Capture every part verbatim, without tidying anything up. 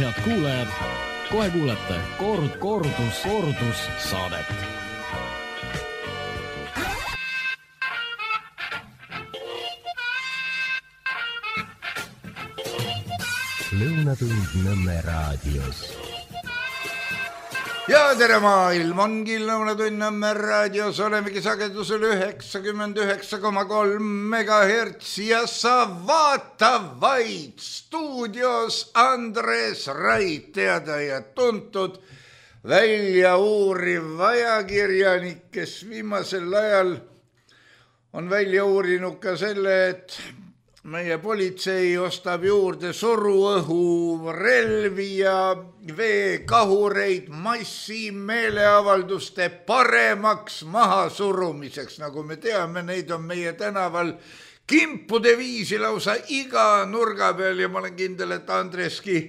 head kuulajad, kohe kuulete kord, kordus, kordus saadet. Lõunatund Nõmme raadios. Ja tere maailm, ongi Lõunatund Nõmme raadios, olemegi sagedusel üheksakümmend üheksa koma kolm megahertsi ja sa vaata vaid stuudios Andres Rait, teada ja tuntud välja uuriv ajakirjanik, kes viimasel ajal on välja uurinud ka selle, et meie politsei ostab juurde suruõhu relvi ja veekahureid massi meeleavalduste paremaks mahasurumiseks. Nagu me teame, neid on meie tänaval kimpude viisi lausa iga nurga peal ja ma olen kindel, et Andreski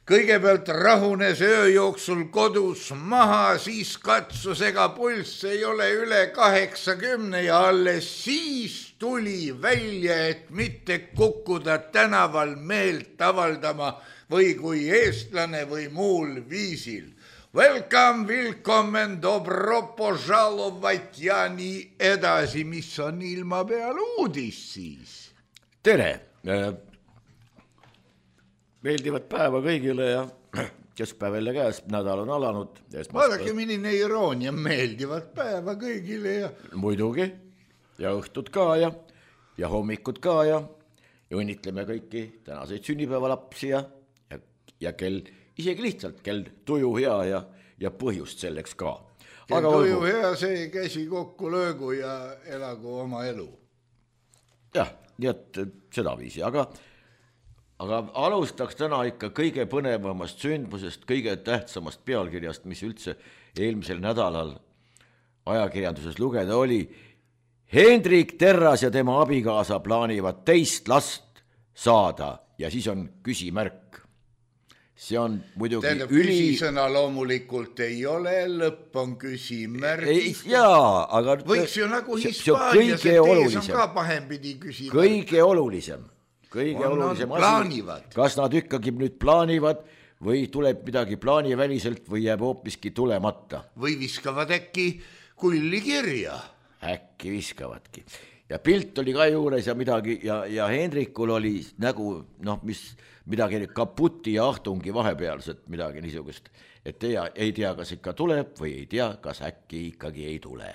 kõigepealt rahunes öö jooksul kodus maha, siis katsus, ega pulss ei ole üle kaheksakümne ja alles siis tuli välja, et mitte kukkuda tänaval meelt avaldama või kui eestlane või muul viisil. Welcome, willkommen, dobro požalovat ja nii edasi, mis on ilma peal uudis siis. Tere! Meeldivat päeva kõigile ja keskpäev jälle käes, nädal on alanud. Vaadake, milline iroonia, meeldivat päeva kõigile ja... Muidugi, ja õhtud ka ja, ja hommikud ka ja, ja õnnitleme kõiki tänaseid sünnipäevalapsi ja, ja, ja kell, isegi lihtsalt kell tuju hea ja, ja põhjust selleks ka. Kell tuju olgu... hea, see käsi kokku löögu ja elagu oma elu. Jah, nii et seda viisi, aga... Aga alustaks täna ikka kõige põnevamast sündmusest, kõige tähtsamast pealkirjast, mis üldse eelmisel nädalal ajakirjanduses lugeda oli. Hendrik Terras ja tema abikaasa plaanivad teist last saada ja siis on küsimärk. See on muidugi Tähendab, üli... Küsisõna loomulikult ei ole, lõpp on küsimärk. Jaa, aga... Võiks ju nagu Hispaanias, et ees on ka pahempidi küsimärk. Kõige olulisem. Kõige on, olulisem on, asi, plaanivad. Kas nad ikkagi nüüd plaanivad või tuleb midagi plaaniväliselt või jääb hoopiski tulemata. Või viskavad äkki kulli kirja. Äkki viskavadki. Ja pilt oli ka juures ja midagi ja, ja Hendrikul oli nägu, noh, mis midagi kaputi ja ahtungi vahepealset, midagi niisugust, et tea, ei tea, kas ikka tuleb või ei tea, kas äkki ikkagi ei tule.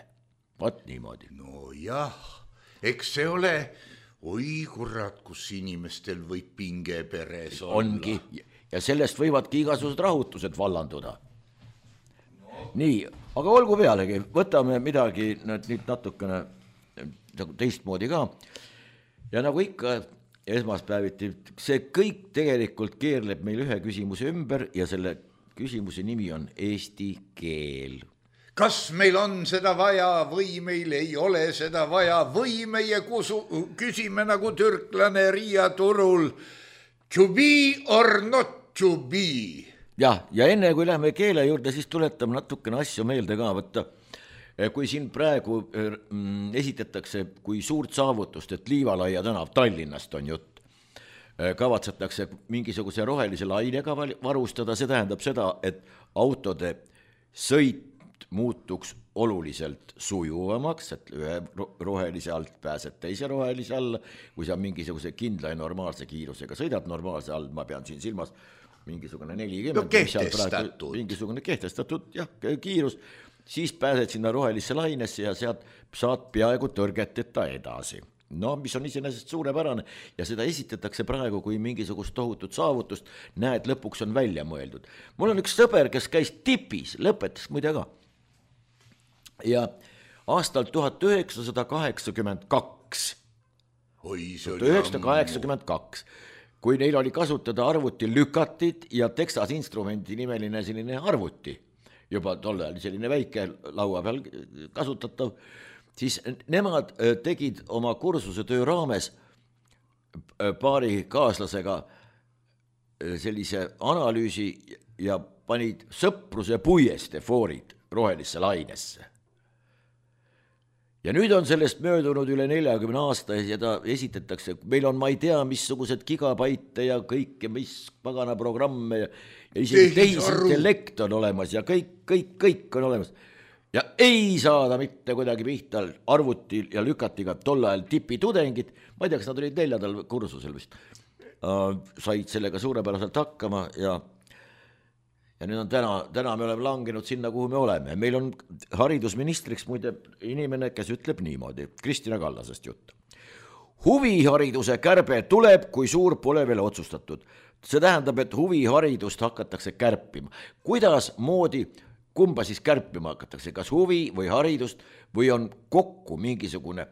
Vat niimoodi. No jah, eks see ole... Oi kurat, kus inimestel võib pinge peres olla. Ongi, ja sellest võivadki igasugused rahutused vallanduda. No. Nii, aga olgu pealegi, võtame midagi nüüd natukene teistmoodi ka. Ja nagu ikka esmaspäeviti, see kõik tegelikult keerleb meil ühe küsimuse ümber ja selle küsimuse nimi on eesti keel. Kas meil on seda vaja või meil ei ole seda vaja või meie kusu, küsime nagu türklane Riia turul to be or not to be. Jah, ja enne kui lähme keele juurde, siis tuletame natukene asju meelde ka võtta. Kui siin praegu esitatakse kui suurt saavutust, et Liivalaia tänav Tallinnast on jutt, kavatsetakse mingisuguse rohelise lainega varustada, see tähendab seda, et autode sõit muutuks oluliselt sujuvamaks, et ühe rohelise alt pääsed teise rohelise alla, kui sa mingisuguse kindla ja normaalse kiirusega sõidad normaalse all, ma pean siin silmas mingisugune nelikümmend, no, kehtestatud. mingisugune kehtestatud jah, kiirus, siis pääsed sinna rohelisse lainesse ja sealt saad peaaegu tõrgeteta edasi. No, mis on iseenesest suurepärane ja seda esitatakse praegu kui mingisugust tohutut saavutust, näed, lõpuks on välja mõeldud. Mul on üks sõber, kes käis tipis, lõpetas muide ka. Ja aastal tuhat üheksasada kaheksakümmend kaks, tuhat üheksasada kaheksakümmend kaks, kui neil oli kasutada arvuti lükatid ja Texas Instrumenti nimeline selline arvuti, juba tolle oli selline väike laua peal kasutatav, siis nemad tegid oma kursuse töö raames paari kaaslasega sellise analüüsi ja panid sõpruse puieste foorid rohelisse lainesse. Ja nüüd on sellest möödunud üle neljakümne aasta ja ta esitatakse, meil on, ma ei tea, missugused gigabaite ja kõike, mis pagana programme ja, ja isegi tehisintellekt on olemas ja kõik, kõik, kõik on olemas. Ja ei saada mitte kuidagi pihta arvuti ja lükati ka tol ajal tipitudengid, ma ei tea, kas nad olid neljandal kursusel vist, uh, said sellega suurepäraselt hakkama ja ja nüüd on täna, täna me oleme langenud sinna, kuhu me oleme. Meil on haridusministriks muide inimene, kes ütleb niimoodi, Kristina Kallasest jutt. Huvihariduse kärbe tuleb, kui suur pole veel otsustatud. See tähendab, et huviharidust hakatakse kärpima. Kuidas moodi, kumba siis kärpima hakatakse, kas huvi või haridust või on kokku mingisugune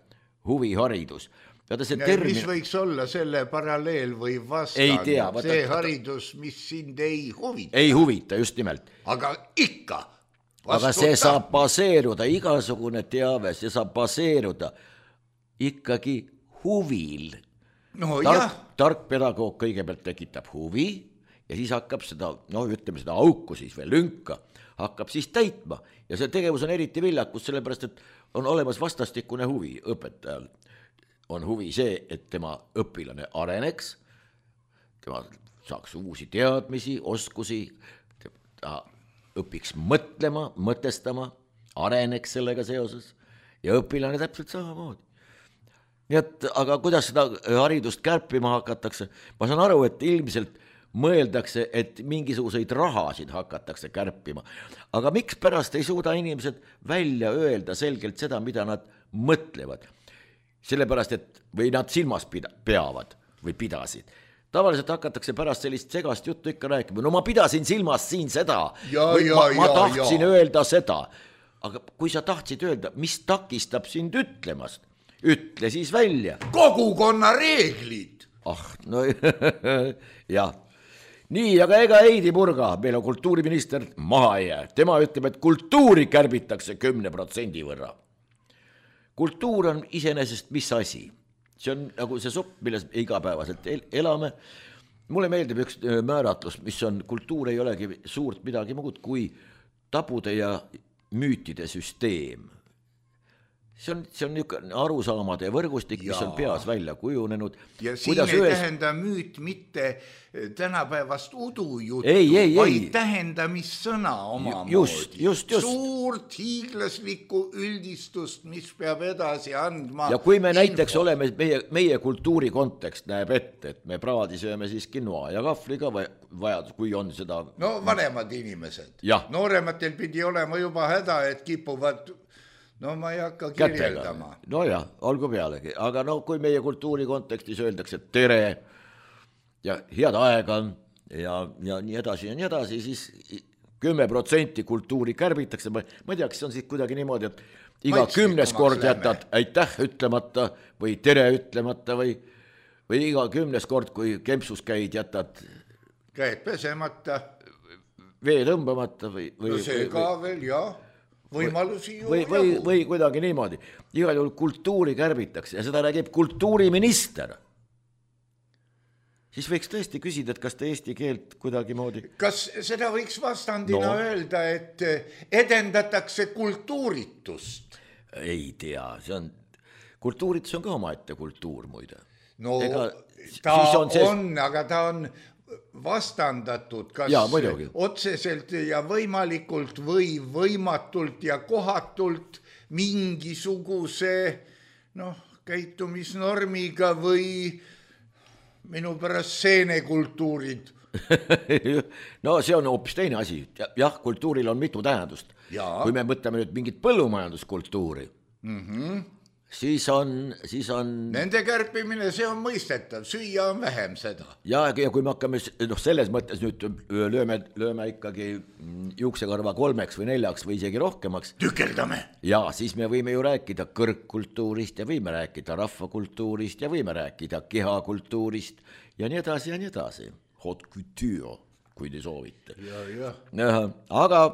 huviharidus? See termin... Mis võiks olla selle paralleel või vastand? Tea, vaata, see haridus, mis sind ei huvita. Ei huvita, just nimelt. Aga ikka. Aga see saab baseeruda, igasugune teave, see saab baseeruda ikkagi huvil. No, tark, tark pedagoog kõigepealt tekitab huvi ja siis hakkab seda, no ütleme seda auku siis või lünka, hakkab siis täitma. Ja see tegevus on eriti viljakus, sellepärast, et on olemas vastastikune huvi õpetajal. On huvi see, et tema õpilane areneks, tema saaks uusi teadmisi, oskusi, ta õpiks mõtlema, mõtestama, areneks sellega seoses ja õpilane täpselt samamoodi. Nii et, aga kuidas seda haridust kärpima hakatakse? Ma saan aru, et ilmselt mõeldakse, et mingisuguseid rahasid hakatakse kärpima. Aga miks pärast ei suuda inimesed välja öelda selgelt seda, mida nad mõtlevad? Sellepärast, et või nad silmas pida, peavad või pidasid. Tavaliselt hakatakse pärast sellist segast juttu ikka rääkima. No ma pidasin silmas siin seda. Ja, või ja, ma, ma ja, tahtsin ja. öelda seda. Aga kui sa tahtsid öelda, mis takistab sind ütlemast? Ütle siis välja. Kogukonna reeglid. Ah, no jah. Nii, aga ega Heidi Purga, meil on kultuuriminister maha ei jää. Tema ütleb, et kultuuri kärbitakse kümne protsendi võrra. Kultuur on iseenesest mis asi? See on nagu see supp, milles igapäevaselt elame. Mulle meeldib üks määratlus, mis on, kultuur ei olegi suurt midagi muud kui tabude ja müütide süsteem. See on, see on niisugune arusaamade võrgustik, mis on peas välja kujunenud. Ja siin Kuidas ei ühes... tähenda müüt mitte tänapäevast udujuttu, ei, ei, vaid ei. tähendamissõna omamoodi. Just, just, just. Suurt hiiglaslikku üldistust, mis peab edasi andma. Ja kui me info. Näiteks oleme, meie, meie kultuuri kontekst näeb ette, et me praadi sööme siis quinoa ja kahvliga või vajadus, kui on seda... No vanemad inimesed. Ja. Noorematel pidi olema juba häda, et kipuvad... No ma ei hakka kirjeldama. Kätega. No jah, olgu pealegi. Aga no kui meie kultuuri kontekstis öeldakse tere ja head aega ja, ja nii edasi ja nii edasi, siis kümme protsenti kultuuri kärbitakse. Ma, ma ei tea, kas on siis kuidagi niimoodi, et iga kümnes kord jätad aitäh ütlemata või tere ütlemata või, või iga kümnes kord, kui kempsus käid, jätad käed pesemata, vee tõmbamata või, või, no see või, ka või, veel, jah. Võimalusi ju või, või, või kuidagi niimoodi. Igal juhul kultuuri kärbitakse ja seda räägib kultuuriminister. Siis võiks tõesti küsida, et kas te eesti keelt kuidagi moodi... Kas seda võiks vastandina no. öelda, et edendatakse kultuuritust? Ei tea, see on... Kultuuritus on ka omaette kultuur muide. No Ega, ta on, see... on, aga ta on... vastandatud kas ja, otseselt ja võimalikult või võimatult ja kohatult mingisuguse noh, käitumisnormiga või minu pärast seenekultuurid. No see on hoopis teine asi. Jah, kultuuril on mitu tähendust. Ja. Kui me mõtleme nüüd mingit põllumajanduskultuuri, mm-hmm. Siis on, siis on... Nende kärpimine, see on mõistetav, süüa on vähem seda. Ja, ja kui me hakkame noh, selles mõttes nüüd lööme, lööme ikkagi juuksekarva kolmeks või neljaks või isegi rohkemaks. Tükeldame. Ja siis me võime ju rääkida kõrgkultuurist ja võime rääkida rahvakultuurist ja võime rääkida kehakultuurist ja nii edasi ja nii edasi. Haute couture, kui te soovite. Ja, ja. Aga...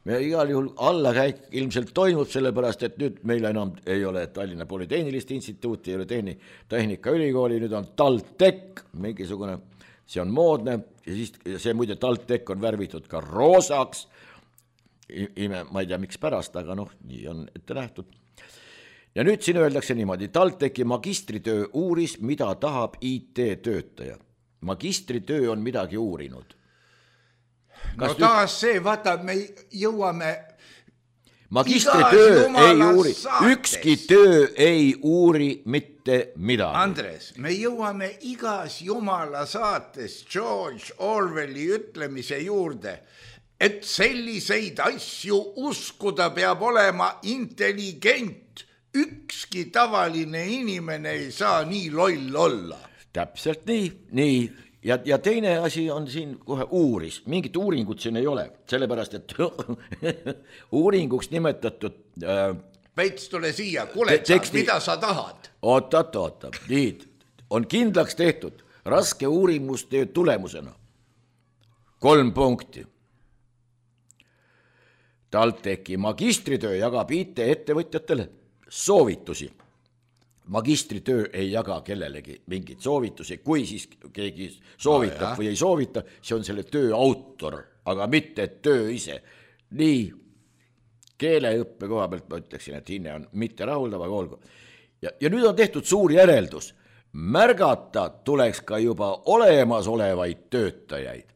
Me igal juhul allakäik ilmselt toimub, sellepärast, et nüüd meil enam ei ole Tallinna Polütehnilist instituuti, ei ole tehni, Tehnikaülikooli, nüüd on TalTech, mingisugune, see on moodne ja siis see muide TalTech on värvitud ka roosaks, ime, ma ei tea miks pärast, aga noh, nii on ette nähtud. Ja nüüd siin öeldakse niimoodi, TalTechi magistritöö uuris, mida tahab I T-töötaja. Magistritöö on midagi uurinud. no taas see, vaata, me jõuame magistritöö ei uuri, ükski töö ei uuri mitte midagi. Andres, me jõuame igas jumala saates George Orwelli ütlemise juurde, et selliseid asju uskuda peab olema intelligent. Ükski tavaline inimene ei saa nii loll olla. Täpselt nii, nii. Ja, ja teine asi on siin kohe uuris. Mingit uuringut siin ei ole, sellepärast, et uuringuks nimetatud... Äh, Peits, tule siia, kuule, teksti... mida sa tahad? Oota, oota, oota. Nii, on kindlaks tehtud raske uurimustöö tulemusena. Kolm punkti. TalTechi magistritöö jagab I T-ettevõtjatele soovitusi. Magistritöö ei jaga kellelegi mingit soovitusi, kui siis keegi soovitab no, või ei soovita, see on selle töö autor, aga mitte töö ise. Nii, keeleõppe koha pealt ma ütleksin, et hinne on mitte rahuldav, aga olgu. Ja, ja nüüd on tehtud suur järeldus. Märgata tuleks ka juba olemasolevaid töötajaid.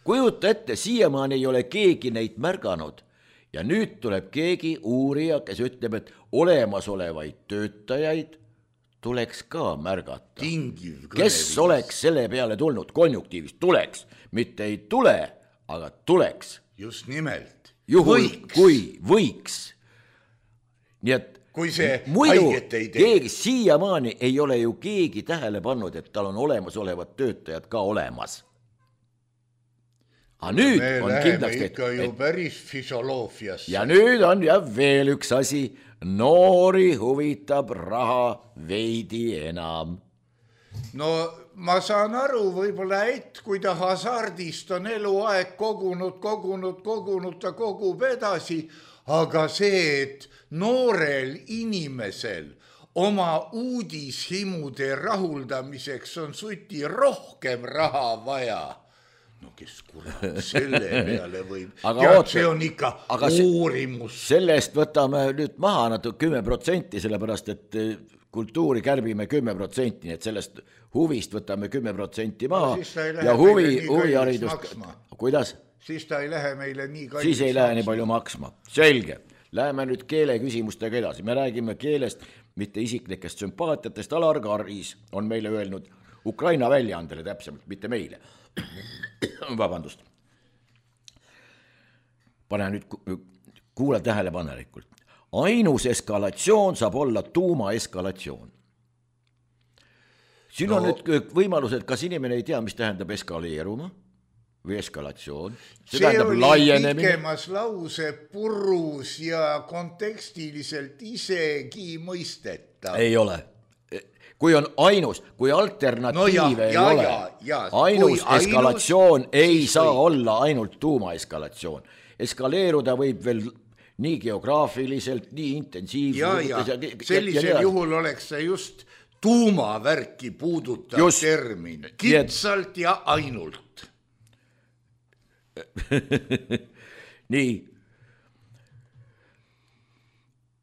Kujuta ette, siiamaani ei ole keegi neid märganud. Ja nüüd tuleb keegi uurija, kes ütleb, et olemasolevaid töötajaid tuleks ka märgata. Tingiv kes oleks selle peale tulnud konjunktiivist? Tuleks. Mitte ei tule, aga tuleks. Just nimelt. Juhul, võiks. Kui võiks. Nii et kui see muidu haiget ei tee. Keegi siiamaani ei ole ju keegi tähele pannud, et tal on olemasolevad töötajad ka olemas. Aga nüüd me on läheme ikka ju et... päris füsioloogiasse. Ja nüüd on ja veel üks asi. Noori huvitab raha veidi enam. No ma saan aru võib-olla, et kui ta hasardist on eluaeg kogunud, kogunud, kogunud, ta kogub edasi, aga see, et noorel inimesel oma uudishimude rahuldamiseks on suti rohkem raha vaja. No kes kurat selle peale võib. Aga ja oota, see on ikka uurimus. Sellest võtame nüüd maha natuke kümme protsenti, sellepärast et kultuuri kärbime kümme protsenti, nii et sellest huvist võtame kümme protsenti maha. No, ja huvi, huviharidust. Kuidas? Siis ta ei lähe meile nii kallis. Siis ei lähe nii palju maksma. Selge. Läheme nüüd keele küsimustega edasi. Me räägime keelest, mitte isiklikest sümpaatiatest. Alar Karis on meile öelnud Ukraina väljaandele täpsemalt, mitte meile. Vabandust. Pane nüüd kuule tähelepanelikult. Ainus eskalatsioon saab olla tuuma eskalatsioon. Siin on no, nüüd võimalused, kas inimene ei tea, mis tähendab eskaleeruma või eskalatsioon. See, see oli laienemine. Pikemas lause purus ja kontekstiliselt isegi mõistetav. Ei ole. Kui on ainus, kui alternatiive no ja, ei ja, ole, ja, ja. ainus kui eskalatsioon ainus, ei saa või... olla ainult tuuma eskalatsioon. Eskaleeruda võib veel nii geograafiliselt, nii intensiivselt. Ja, ja. Sellisel ja, juhul oleks see just tuumavärki puudutav just. Termin. Kitsalt ja ainult. Nii.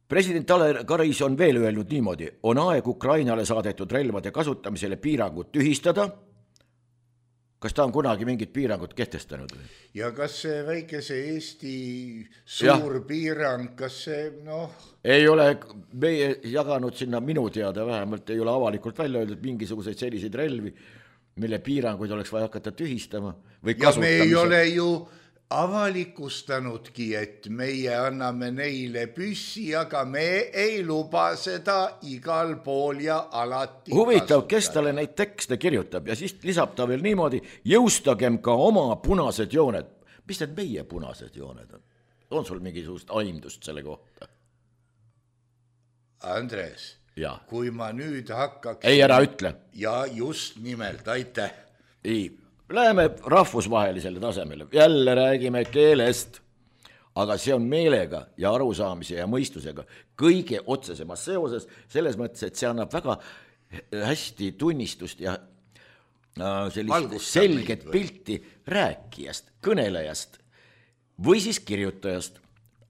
President Alar Karis on veel öelnud niimoodi, on aeg Ukrainale saadetud relvade kasutamisele piirangud tühistada. Kas ta on kunagi mingit piirangut kehtestanud? Ja kas see väikese Eesti suur ja. Piirang, kas see, noh... Ei ole meie jaganud sinna minu teada, vähemalt ei ole avalikult välja öeldud mingisuguseid selliseid relvi, mille piiranguid oleks vaja hakata tühistama või kasutamise. Ja me ei ole ju... avalikustanudki, et meie anname neile püssi, aga me ei luba seda igal pool ja alati huvitav, kasutada. Kes talle neid tekste kirjutab ja siis lisab ta veel niimoodi, jõustagem ka oma punased jooned. Mis need meie punased jooned on? On sul mingisugust aimdust selle kohta? Andres, ja. Kui ma nüüd hakkaks... Ei, ära ütle. Ja just nimelt, aitäh. Ei. Läheme rahvusvahelisele tasemele, jälle räägime keelest, aga see on meelega ja arusaamise ja mõistusega kõige otsesemas seoses, selles mõttes, et see annab väga hästi tunnistust ja sellist selget pilti rääkijast, kõnelejast või siis kirjutajast.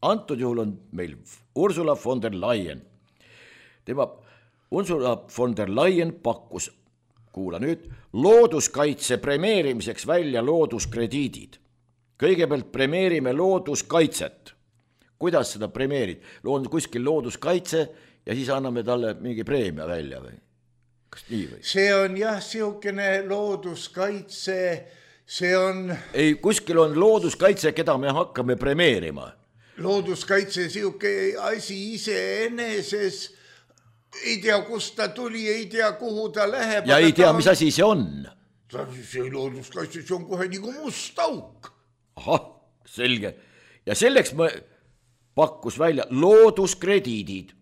Antud juhul on meil Ursula von der Leyen. Tema Ursula von der Leyen pakkus kuula nüüd, looduskaitse premeerimiseks välja looduskrediidid. kõigepealt premeerime looduskaitset. Kuidas seda premeerid? On kuskil looduskaitse ja siis anname talle mingi preemia välja või? Kas nii või? See on jah, siukene looduskaitse, see on... Ei, kuskil on looduskaitse, keda me hakkame premeerima. Looduskaitse siuke asi iseeneses, ei tea, kust ta tuli, ei tea, kuhu ta läheb. Ja ei tea, mis asi see on. See looduskaitse, see on kohe nagu must auk. Ahah, selge. Ja selleks me pakkus välja looduskrediidid.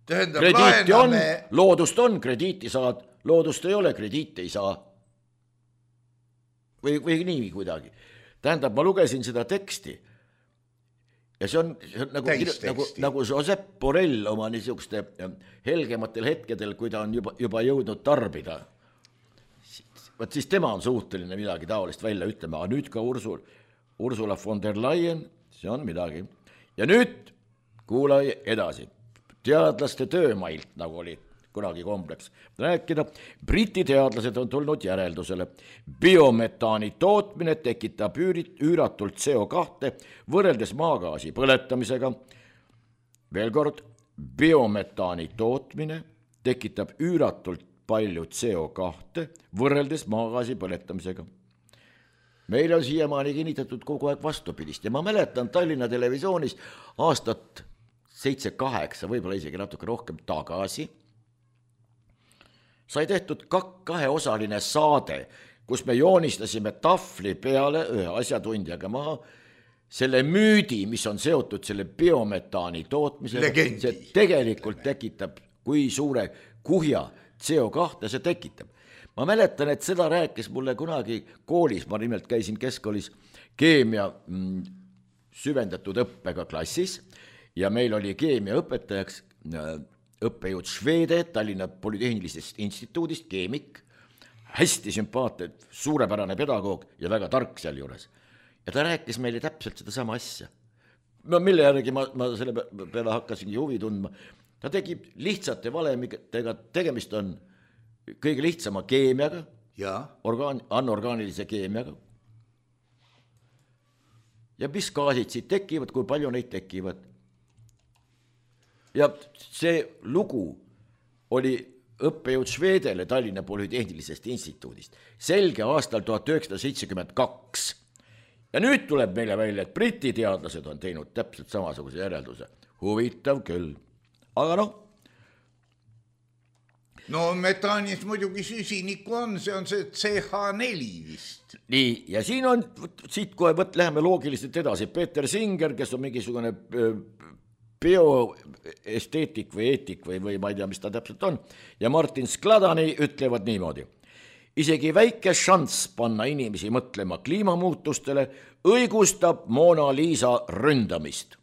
Tähendab, krediiti on, laename... loodust on, krediiti saad, loodust ei ole, krediiti ei saa. Või, või nii kuidagi. Tähendab, ma lugesin seda teksti ja see on, see on nagu, nagu, nagu Josep Borrell oma niisuguste helgematel hetkedel, kui ta on juba, juba jõudnud tarbida. Vaat siis tema on suhteline midagi taolist välja ütlema, aga nüüd ka Ursul, Ursula von der Leyen, see on midagi. Ja nüüd kuula edasi. Teadlaste töömailt, nagu oli kunagi kompleks rääkida. Briti teadlased on tulnud järeldusele. Biometaani tootmine tekitab üüratult C O kahte võrreldes maagaasi põletamisega. Veel kord, biometaani tootmine tekitab üüratult palju C O kahte võrreldes maagaasi põletamisega. Meil on siiamaani kinnitatud kogu aeg vastupidist ja ma mäletan Tallinna televisioonis aastat seitse kaheksa, võib-olla isegi natuke rohkem tagasi, sai tehtud kaheosaline saade, kus me joonistasime tahvli peale ühe asjatundjaga maha selle müüdi, mis on seotud selle biometaani tootmisega. See tegelikult tekitab, kui suure kuhja C O kahte see tekitab. Ma mäletan, et seda rääkis mulle kunagi koolis, ma nimelt käisin keskkoolis keemia mm, süvendatud õppega klassis ja meil oli keemia õpetajaks õppejõud Švede Tallinna Polütehnilisest instituudist, keemik, hästi sümpaatne, suurepärane pedagoog ja väga tark seal juures. Ja ta rääkis meile täpselt seda sama asja. No, mille järgi ma, ma selle peale hakkasingi huvi tundma. Ta tegi lihtsate valemidega, tegemist on kõige lihtsama keemiaga, ja. Orgaan, anorgaanilise keemiaga. Ja mis gaasid siit tekivad, kui palju neid tekivad. Ja see lugu oli õppejõud Švedele Tallinna Polütehnilisest instituudist. Selge aastal tuhat üheksasada seitsekümmend kaks. Ja nüüd tuleb meile välja, et Briti teadlased on teinud täpselt samasuguse järelduse. Huvitav küll. Aga noh, no metaanis muidugi süsinikku on, see on see C H neli vist. Nii, ja siin on, siit kohe võt, läheme loogiliselt edasi. Peeter Singer, kes on mingisugune bioesteetik või eetik või, või ma ei tea, mis ta täpselt on, ja Martin Skladani ütlevad niimoodi. Isegi väike šanss panna inimesi mõtlema kliimamuutustele õigustab Mona Lisa ründamist.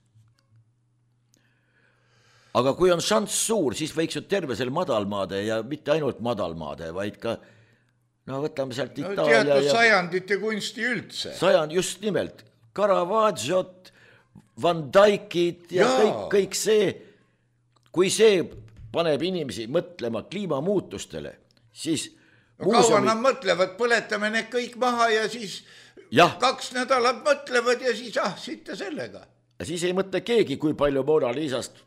Aga kui on šanss suur, siis võiks ju terve selle madalmaade ja mitte ainult madalmaade, vaid ka, no võtame sealt Itaalia. No teatud ja... sajandite kunsti üldse. Sajand, just nimelt, Caravaggiot, Van Dijkid ja, ja. Kõik, kõik see, kui see paneb inimesi mõtlema kliimamuutustele, siis... No kaua nad mõtlevad, põletame need kõik maha ja siis ja. Kaks nädalat mõtlevad ja siis ah, sitte sellega. Ja siis ei mõtle keegi, kui palju Mona Lisast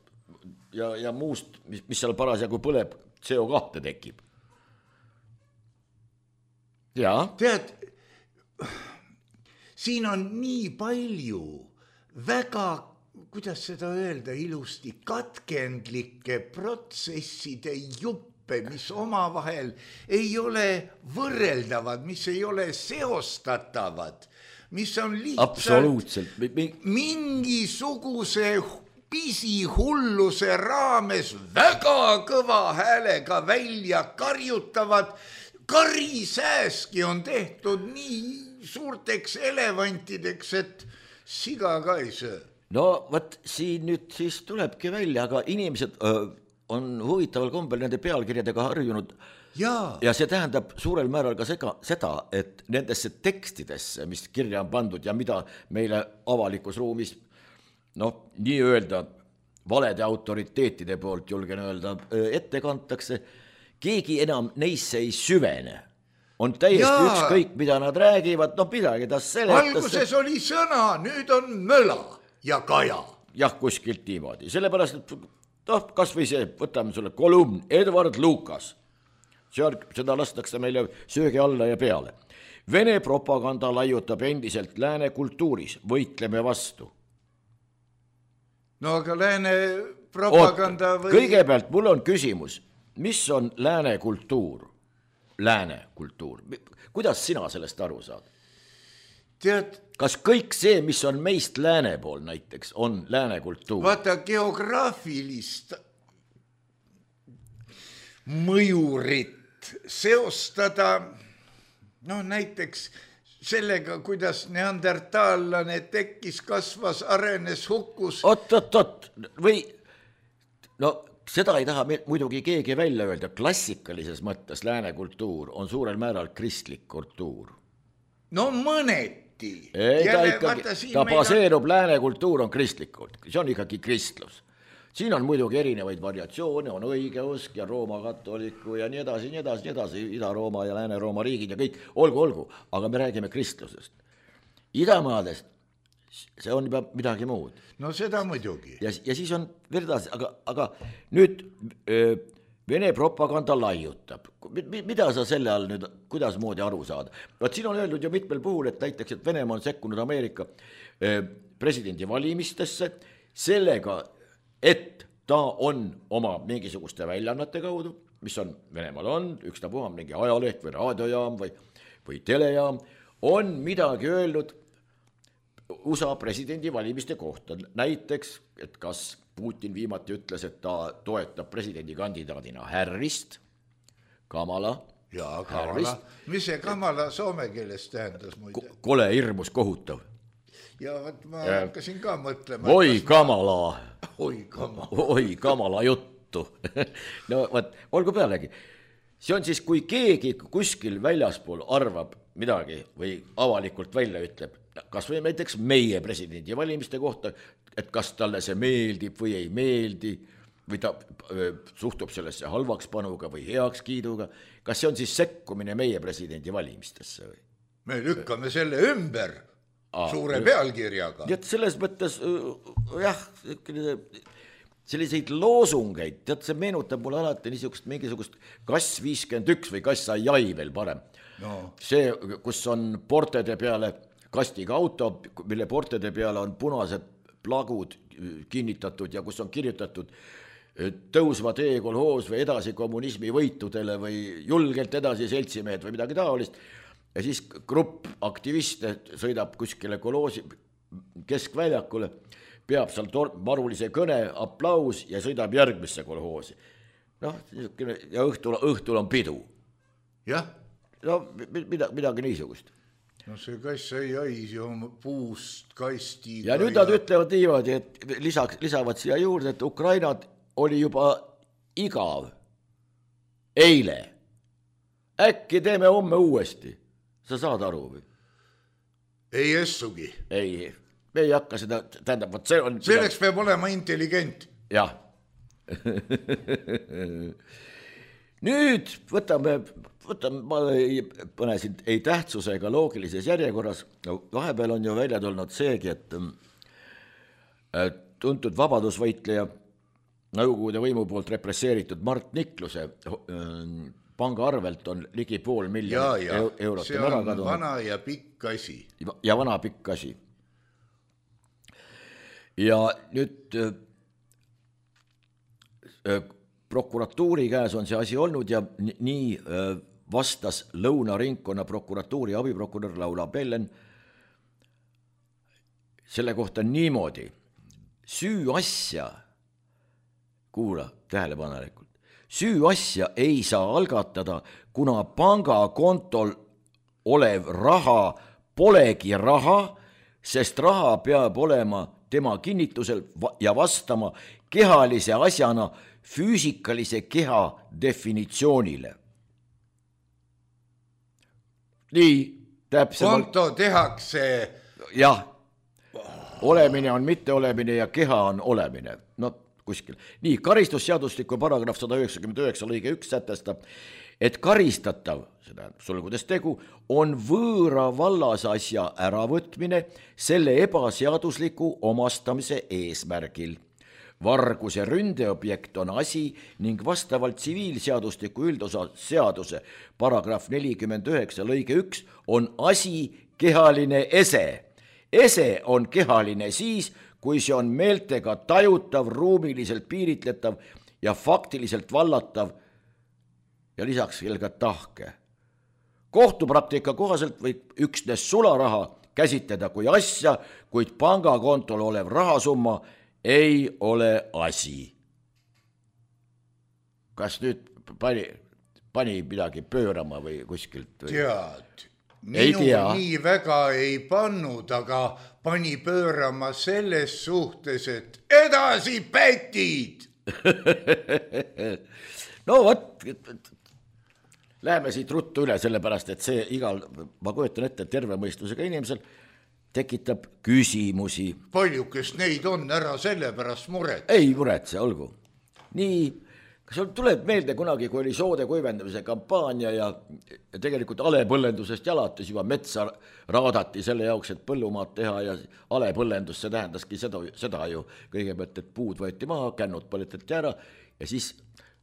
ja, ja muust, mis, mis seal parasjagu põleb, C O kahte tekib. Ja. Tead, siin on nii palju väga, kuidas seda öelda ilusti, katkendlike protsesside jupp, mis omavahel ei ole võrreldavad, mis ei ole seostatavad, mis on lihtsalt mingisuguse pisihulluse raames väga kõva häälega välja karjutavad. Karisääski on tehtud nii suurteks elevantideks, et siga ka ei söö. No võt, siin nüüd siis tulebki välja, aga inimesed... Öö... on huvitaval kombel nende pealkirjadega harjunud ja, ja see tähendab suurel määral ka sega, seda, et nendesse tekstidesse, mis kirja on pandud ja mida meile avalikus ruumis, noh, nii öelda valede autoriteetide poolt julgen öelda, ette kantakse, keegi enam neisse ei süvene. on täiesti Jaa. ükskõik, mida nad räägivad, noh midagi ta seletas. Alguses oli sõna, nüüd on möla ja kaja. Jah, kuskilt niimoodi, sellepärast, et noh, kas või see, võtame sulle kolumn, Edward Lucas, seal seda lastakse meile söögi alla ja peale. Vene propaganda laiutab endiselt lääne kultuuris, võitleme vastu. No aga lääne propaganda Oota, või... kõigepealt mul on küsimus, mis on lääne kultuur? Lääne kultuur, kuidas sina sellest aru saad? Tead, kas kõik see, mis on meist lääne pool näiteks, on lääne kultuur? vaata geograafilist mõjurit seostada, noh näiteks sellega, kuidas neandertaallane tekkis, kasvas, arenes, hukkus. Oot, oot, oot, või no seda ei taha muidugi keegi välja öelda, klassikalises mõttes lääne kultuur on suurel määral kristlik kultuur. No mõneti. Ei, ta, ikkagi, ta baseerub, on... lääne kultuur on kristlikult, see on ikkagi kristlus. Siin on muidugi erinevaid variatsioone, on õigeusk ja Rooma katoliku ja nii edasi, nii edasi, nii edasi, Ida-Rooma ja Lääne-Rooma riigid ja kõik, olgu, olgu, aga me räägime kristlusest. Idamaadest, see on juba midagi muud. No seda muidugi. Ja, ja siis on veel edasi, aga, aga nüüd öö, Vene propaganda laiutab. Mida sa selle all nüüd, kuidas moodi aru saada? Vaat siin on öeldud ju mitmel puhul, et näiteks, et Venemaa on sekkunud Ameerika presidendi valimistesse sellega, et ta on oma mingisuguste väljaannete kaudu, mis on Venemaal on, ükstapuha mingi ajaleht või raadiojaam või, või telejaam, on midagi öelnud U S A presidendi valimiste kohta. Näiteks, et kas Putin viimati ütles, et ta toetab presidendi kandidaadina Harrist, Kamala. Jaa, Kamala. Mis see Kamala soome keeles tähendas muide? Kole hirmus kohutav. Ja võt, ma ja. hakkasin ka mõtlema. Oi Kamala. Oi Kamala. Oi Kamala juttu. No võt, olgu pealegi. See on siis, kui keegi kuskil väljaspool arvab midagi või avalikult välja ütleb, kas või näiteks meie presidendi valimiste kohta, et kas talle see meeldib või ei meeldi, või ta suhtub sellesse halvakspanuga või heakskiiduga, kas see on siis sekkumine meie presidendi valimistesse või? Me lükkame selle ümber Aa, suure jah. Pealkirjaga. Tead, selles mõttes, jah, selliseid loosungeid, tead, see meenutab mulle alati niisugust mingisugust kass viiskümmend üks või kass ai veel parem. No. See, kus on portede peale kastiga auto, mille portede peale on punased plagud kinnitatud ja kus on kirjutatud tõusva tee kolhoos või edasi kommunismi võitudele või julgelt edasi seltsimehed või midagi taolist. Ja siis grupp aktiviste sõidab kuskile kolhoosi keskväljakule, peab seal marulise kõne, aplaus ja sõidab järgmisse kolhoosi. Noh, ja õhtul, õhtul on pidu. Jah. No midagi, midagi niisugust. No see kass ei ais ju puust kastiga. Ja nüüd nad ja... ütlevad niimoodi, et lisaks, lisavad siia juurde, et Ukrainad oli juba igav eile. Äkki teeme homme uuesti. Sa saad aru või? Ei essugi. Ei, me ei hakka seda, tähendab, võt see on... Selleks peab olema intelligent. Jah. Nüüd võtame, võtame, ma ei pane siin ei tähtsuse ega loogilises järjekorras. No, vahepeal on ju välja tulnud seegi, et, et tuntud vabadusvõitleja Nõukogude võimu poolt represseeritud Mart Nikluse panga arvelt on ligi pool miljonit ja, ja, eurot. See on kadunud. Vana ja pikk asi. Ja vana pikk asi. Ja nüüd prokuratuuri käes on see asi olnud ja nii vastas Lõunaringkonna prokuratuuri abiprokurör Laura Bellen selle kohta niimoodi. Süü asja, kuula tähelepanelikult, süü asja ei saa algatada, kuna pangakontol olev raha polegi raha, sest raha peab olema tema kinnitusel ja vastama kehalise asjana füüsikalise keha definitsioonile. Nii, täpsemalt. Konto tehakse. Jah, olemine on mitteolemine ja keha on olemine. No kuskil. Nii, karistusseadusliku paragrahv sada üheksakümmend üheksa lõige üks sätestab, et karistatav, seda sulgudes tegu, on võõra vallasasja äravõtmine selle ebaseadusliku omastamise eesmärgil. Varguse ründeobjekt on asi ning vastavalt tsiviilseadustiku üldosa seaduse paragrahv nelikümmend üheksa lõige üks on asi kehaline ese. Ese on kehaline siis, kui see on meeltega tajutav, ruumiliselt piiritletav ja faktiliselt vallatav ja lisaks veel ka tahke. Kohtupraktika kohaselt võib üksnes sularaha käsitleda kui asja, kuid pangakontol olev rahasumma ei ole asi. Kas nüüd pani, pani midagi pöörama või kuskilt? Või? Tead, minu tea. nii väga ei pannud, aga pani pöörama selles suhtes, et edasi pätid. No vot, läheme siit ruttu üle, sellepärast, et see igal, ma kujutan ette, terve mõistusega inimesel tekitab küsimusi. Paljukest neid on, ära sellepärast muret. Ei muretse, olgu. Nii, kas sul tuleb meelde kunagi, kui oli soode kuivendamise kampaania ja tegelikult alepõllendusest jalates juba metsa raadati selle jaoks, et põllumaad teha ja alepõllendus, see tähendaski seda, seda ju kõigepealt, et puud võeti maha, kännud põletati ära ja siis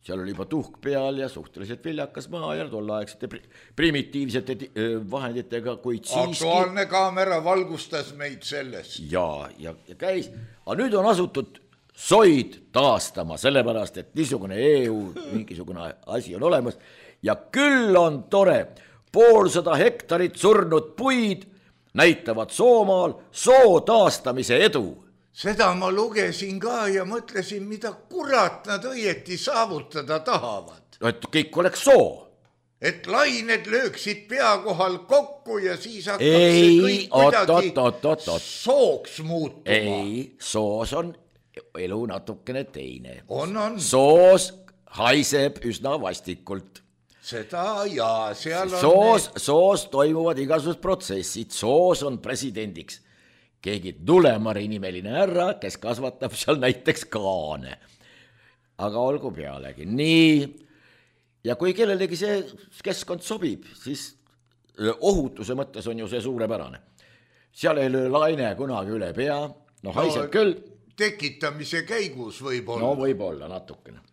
seal oli juba tuhk peal ja suhteliselt viljakas maa ja tollaegsete primitiivsete vahenditega, kuid siiski... Aktuaalne kaamera valgustas meid selles. Ja, ja, ja käis, aga nüüd on asutud soid taastama, sellepärast, et niisugune E U mingisugune asi on olemas ja küll on tore, poolsada hektarit surnud puid näitavad Soomaal soo taastamise edu. Seda ma lugesin ka ja mõtlesin, mida kurat nad õieti saavutada tahavad. Et kõik oleks soo. Et lained lööksid pea kohal kokku ja siis hakkab ei, see kõik kuidagi ot, ot, ot, ot. sooks muutuma. Ei, soos on elu natukene teine. On, on. Soos haiseb üsna vastikult. Seda ja seal on... Soos, need... soos toimuvad igasugused protsessid. Soos on presidendiks keegi Tulemari nimeline härra, kes kasvatab seal näiteks kaane. Aga olgu pealegi. Nii, ja kui kellelegi see keskkond sobib, siis ohutuse mõttes on ju see suurepärane. Seal ei löö laine kunagi üle pea, no haiseb no, küll. Tekitamise käigus võib olla. No võib olla natukene.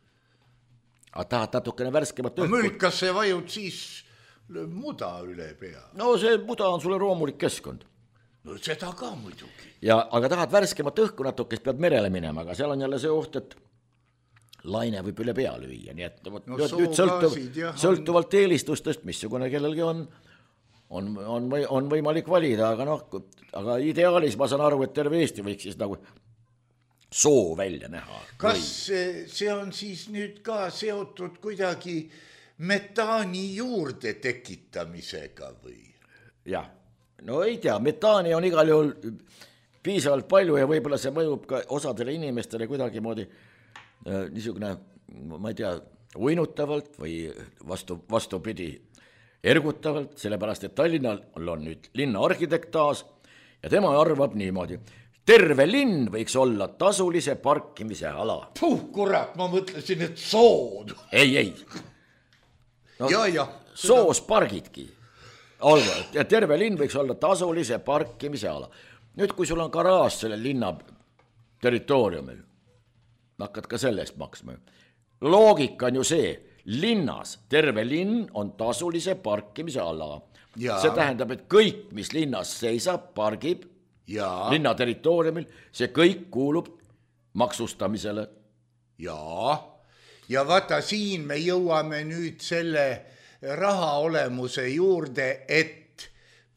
Aga tahad natukene värskemat õhku? Mülkas see vajud siis lööb muda üle pea. No see muda on sulle roomulik keskkond. No seda ka muidugi. Ja, aga tahad värskemat õhku natuke, pead merele minema, aga seal on jälle see oht, et laine võib üle pea lüüa. Nii et no, nüüd sõltuv, sõltuvalt eelistustest, missugune kellelgi on, on, on, on võimalik valida, aga noh, aga ideaalis ma saan aru, et terve Eesti võiks siis nagu soo välja näha. Kas või... see on siis nüüd ka seotud kuidagi metaani juurde tekitamisega või? Jah. No ei tea, metaani on igal juhul piisavalt palju ja võib-olla see mõjub ka osadele inimestele kuidagi moodi äh, niisugune, ma ei tea, uinutavalt või vastu, vastupidi ergutavalt, sellepärast et Tallinnal on nüüd linna arhitekt taas ja tema arvab niimoodi, terve linn võiks olla tasulise parkimise ala. Puh, kurat, ma mõtlesin, et sood. Ei, ei. No, ja, ja. Soos pargidki. Olgu, ja terve linn võiks olla tasulise parkimise ala. Nüüd, kui sul on garaaž selle linna territooriumil, hakkad ka sellest maksma. Loogika on ju see, linnas, terve linn on tasulise parkimise ala. Ja. See tähendab, et kõik, mis linnas seisab, pargib ja. Linna territooriumil, see kõik kuulub maksustamisele. Ja, ja vaata siin me jõuame nüüd selle raha olemuse juurde, et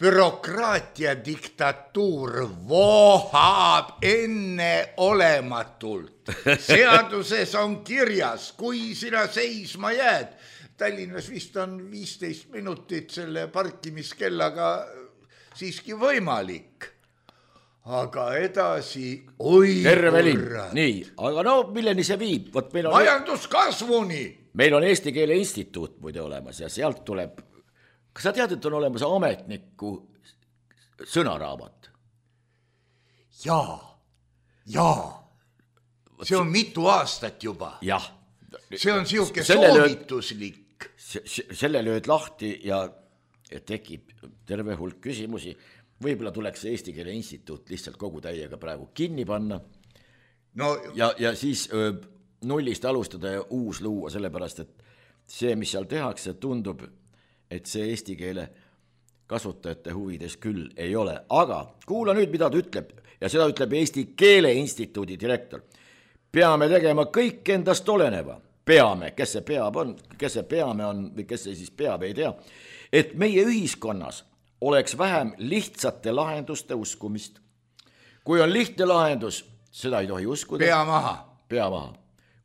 bürokraatia diktatuur vohab enne olematult. Seaduses on kirjas, kui sina seisma jääd. Tallinnas vist on viisteist minutit selle parkimiskellaga siiski võimalik. Aga edasi, oi terve linn, nii, aga no milleni see viib? Võt, meil on... Majanduskasvuni! Meil on Eesti Keele Instituut muide olemas ja sealt tuleb, kas sa tead, et on olemas ametniku sõnaraamat? Jaa, jaa, see on mitu aastat juba. Jah. See on siuke soovituslik. kõik, selle lööd lahti ja tekib terve hulk küsimusi. Võib-olla tuleks Eesti Keele Instituut lihtsalt kogu täiega praegu kinni panna no, ja, ja siis öö, nullist alustada ja uus luua, sellepärast et see, mis seal tehakse, tundub, et see eesti keele kasutajate huvides küll ei ole. Aga kuula nüüd, mida ta ütleb, ja seda ütleb Eesti Keele Instituudi direktor. Peame tegema kõik endast oleneva. Peame, kes see peab on, kes see peame on või kes see siis peab, ei tea. Et meie ühiskonnas oleks vähem lihtsate lahenduste uskumist. Kui on lihtne lahendus, seda ei tohi uskuda. Pea maha. Pea maha.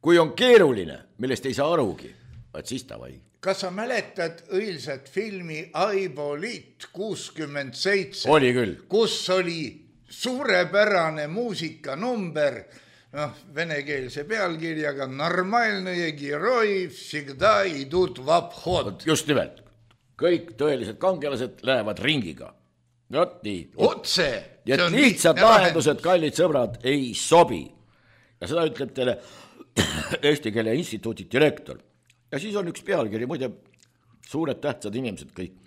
Kui on keeruline, millest ei saa arugi, et siis ta või. Kas sa mäletad õilsat filmi Aibolit kuuskümmend seitse? Oli küll. Kus oli suurepärane muusikanumber, noh, venekeelse pealkirjaga Normalnõje Geroi всегда идут в обход. Just nimelt. Kõik tõelised kangelased lähevad ringiga. Not nii. Otse. Ja lihtsad lahendused, kallid sõbrad, ei sobi. Ja seda ütleb teile Eesti Keele Instituudi direktor. Ja siis on üks pealkiri, muide, suured tähtsad inimesed kõik.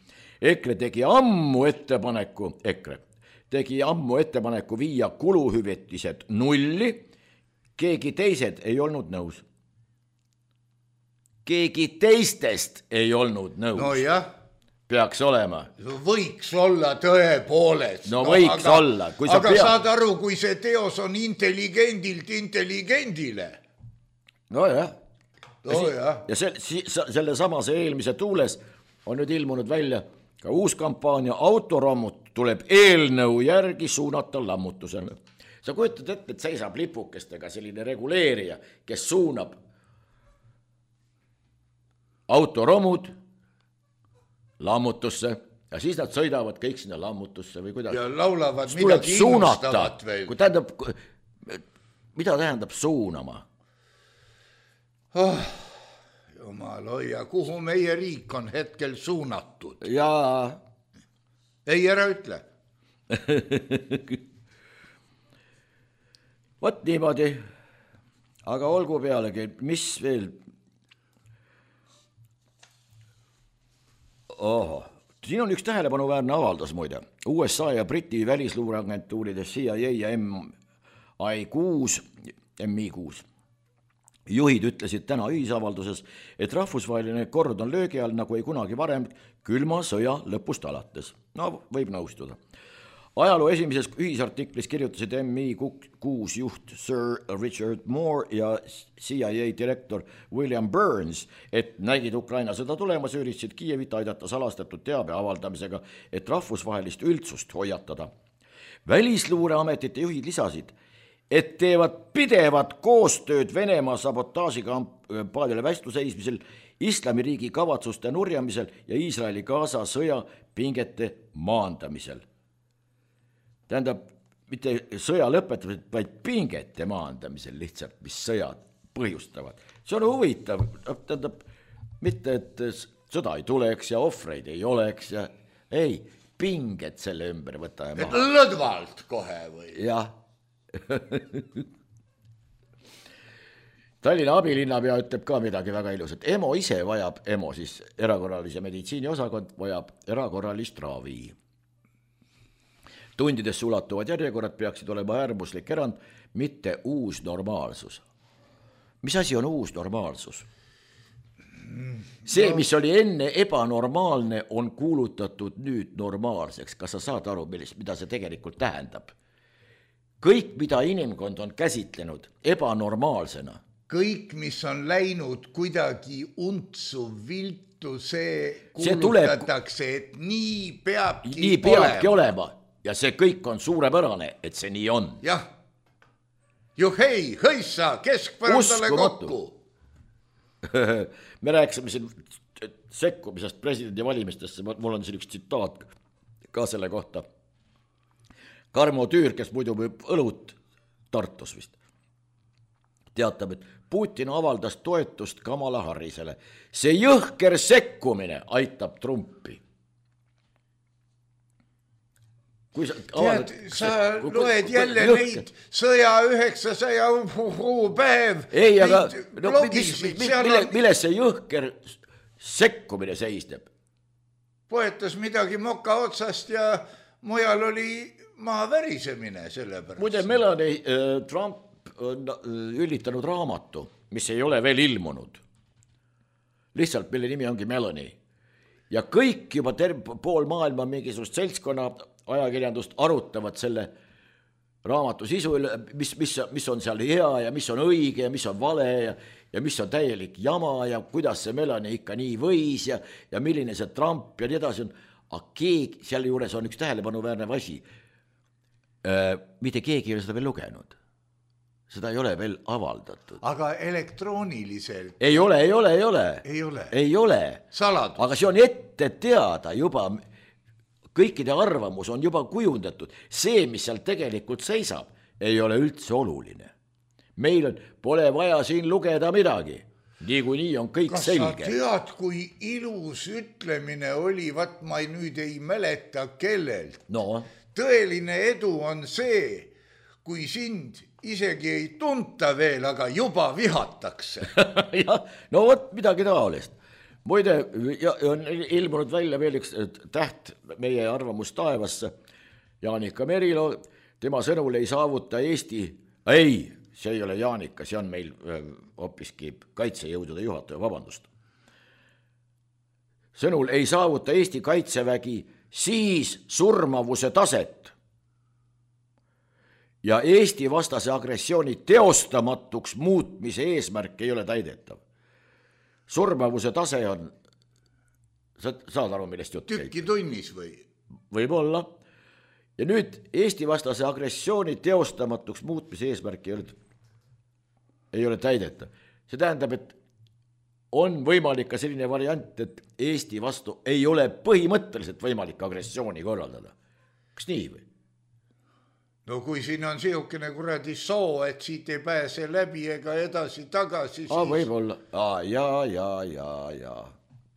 EKRE tegi ammu ettepaneku, EKRE tegi ammu ettepaneku viia kuluhüvitised nulli, keegi teised ei olnud nõus. Keegi teistest ei olnud nõus. No jah. Peaks olema. Võiks olla tõepoolest. No, no võiks aga, olla. Kui aga peab... saad aru, kui see teos on intelligendilt intelligendile. No jah. No jah. Ja see, selle samase eelmise tuules on nüüd ilmunud välja ka uus kampaania Autorommut tuleb eelnõu järgi suunata lammutusele. Sa kujutad ette, et seisab lipukestega selline reguleerija, kes suunab autoromud lammutusse ja siis nad sõidavad kõik sinna lammutusse või kuidas. Ja laulavad midagi innustavat veel. Kui tähendab, mida tähendab suunama? Oh, jumal hoia, kuhu meie riik on hetkel suunatud? Jaa. Ei, ära ütle. Võt niimoodi, aga olgu pealegi, mis veel... Oho, siin on üks tähelepanuväärne avaldus muide. U S A ja Briti välisluureagentuuride C I A ja M I kuus, M I kuus juhid ütlesid täna ühisavalduses, et rahvusvaheline kord on löögi all nagu ei kunagi varem külma sõja lõpust alates. No, võib nõustuda. Ajaloo esimeses ühisartiklis kirjutasid M I kuus juht Sir Richard Moore ja C I A direktor William Burns, et nägid Ukraina sõda tulemas, üritasid Kiievit aidata salastatud teabe avaldamisega, et rahvusvahelist üldsust hoiatada. Välisluureametite juhid lisasid, et teevad pidevat koostööd Venemaa sabotaažikampaaniale vastu seismisel, Islamiriigi kavatsuste nurjamisel ja Iisraeli Gaza sõja pingete maandamisel. Tähendab, mitte sõja lõpetamisel, vaid pingete maandamisel lihtsalt, mis sõjad põhjustavad. See on huvitav, tähendab, mitte et sõda ei tuleks ja ohvreid ei oleks ja ei, pinged selle ümber võtame maha. Et lõdvalt kohe või? Jah. Tallinna abilinnapea ütleb ka midagi väga ilusat. EMO ise vajab, EMO siis erakorralise meditsiini osakond, vajab erakorralist ravi. Tundidesse ulatuvad järjekorrad peaksid olema äärmuslik erand, mitte uus normaalsus. Mis asi on uus normaalsus? See, mis oli enne ebanormaalne, on kuulutatud nüüd normaalseks. Kas sa saad aru, mida see tegelikult tähendab? Kõik, mida inimkond on käsitlenud ebanormaalsena. Kõik, mis on läinud kuidagi untsu viltu, see kuulutatakse, see et nii peabki, nii peabki olema. Ja see kõik on suurepärane, et see nii on. Jah. Juhei, hõissa, keskpärandale kokku. Me rääkisime siin sekkumisest presidendi valimistesse, mul on siin üks tsitaat ka selle kohta. Karmo Tüür, kes muidu võib õlut Tartus vist, teatab, et Putin avaldas toetust Kamala Harrisele. See jõhker sekkumine aitab Trumpi. Sa, Tead, sa kui, loed jälle kui, neid sõja üheksasaja päev. Ei, aga no, mis, mille, milles see jõhker sekkumine seisneb. Poetas midagi moka otsast ja mujal oli maa värisemine selle pärast. Muide, Melanie äh, Trump on üllitanud raamatu, mis ei ole veel ilmunud. Lihtsalt, mille nimi ongi Melanie. Ja kõik juba terve pool maailma mingisugust seltskonna ajakirjandust arutavad selle raamatu sisu, mis, mis, mis on seal hea ja mis on õige ja mis on vale ja, ja mis on täielik jama ja kuidas see Melanie ikka nii võis ja, ja milline see Trump ja nii edasi on. Aga keegi, seal juures on üks tähelepanuväärne asi. Äh, mitte keegi ei ole seda veel lugenud. Seda ei ole veel avaldatud. Aga elektrooniliselt? Ei ole, ei ole, ei ole. Ei ole. Ei ole. Saladus. Aga see on ette teada juba, kõikide arvamus on juba kujundatud. See, mis seal tegelikult seisab, ei ole üldse oluline. Meil on, pole vaja siin lugeda midagi. Nii kui nii on kõik Kas selge. Kas sa tead, kui ilus ütlemine oli, vat ma ei, nüüd ei mäleta kellelt. No. Tõeline edu on see, kui sind isegi ei tunta veel, aga juba vihatakse. Ja, no võt midagi taolist. Muide, on ilmunud välja veel üks täht meie arvamus taevasse. Jaanika Merilo, tema sõnul ei saavuta Eesti, ei, see ei ole Jaanika, see on meil hoopiski kaitsejõudude juhataja, vabandust. Sõnul ei saavuta Eesti kaitsevägi siis surmavuse taset ja Eesti vastase agressiooni teostamatuks muutmise eesmärk ei ole täidetav. Surmavuse tase on, sa saad aru, millest jutt käib? Tükki tunnis või? Võib-olla. Ja nüüd Eesti vastase agressiooni teostamatuks muutmise eesmärk ei ole, ei ole täidetav. See tähendab, et on võimalik ka selline variant, et Eesti vastu ei ole põhimõtteliselt võimalik agressiooni korraldada. Kas nii või? No kui siin on siukene kuradi soo, et siit ei pääse läbi ega edasi tagasi, siis... Ah, võib-olla. Ah, ja, ja, ja, ja.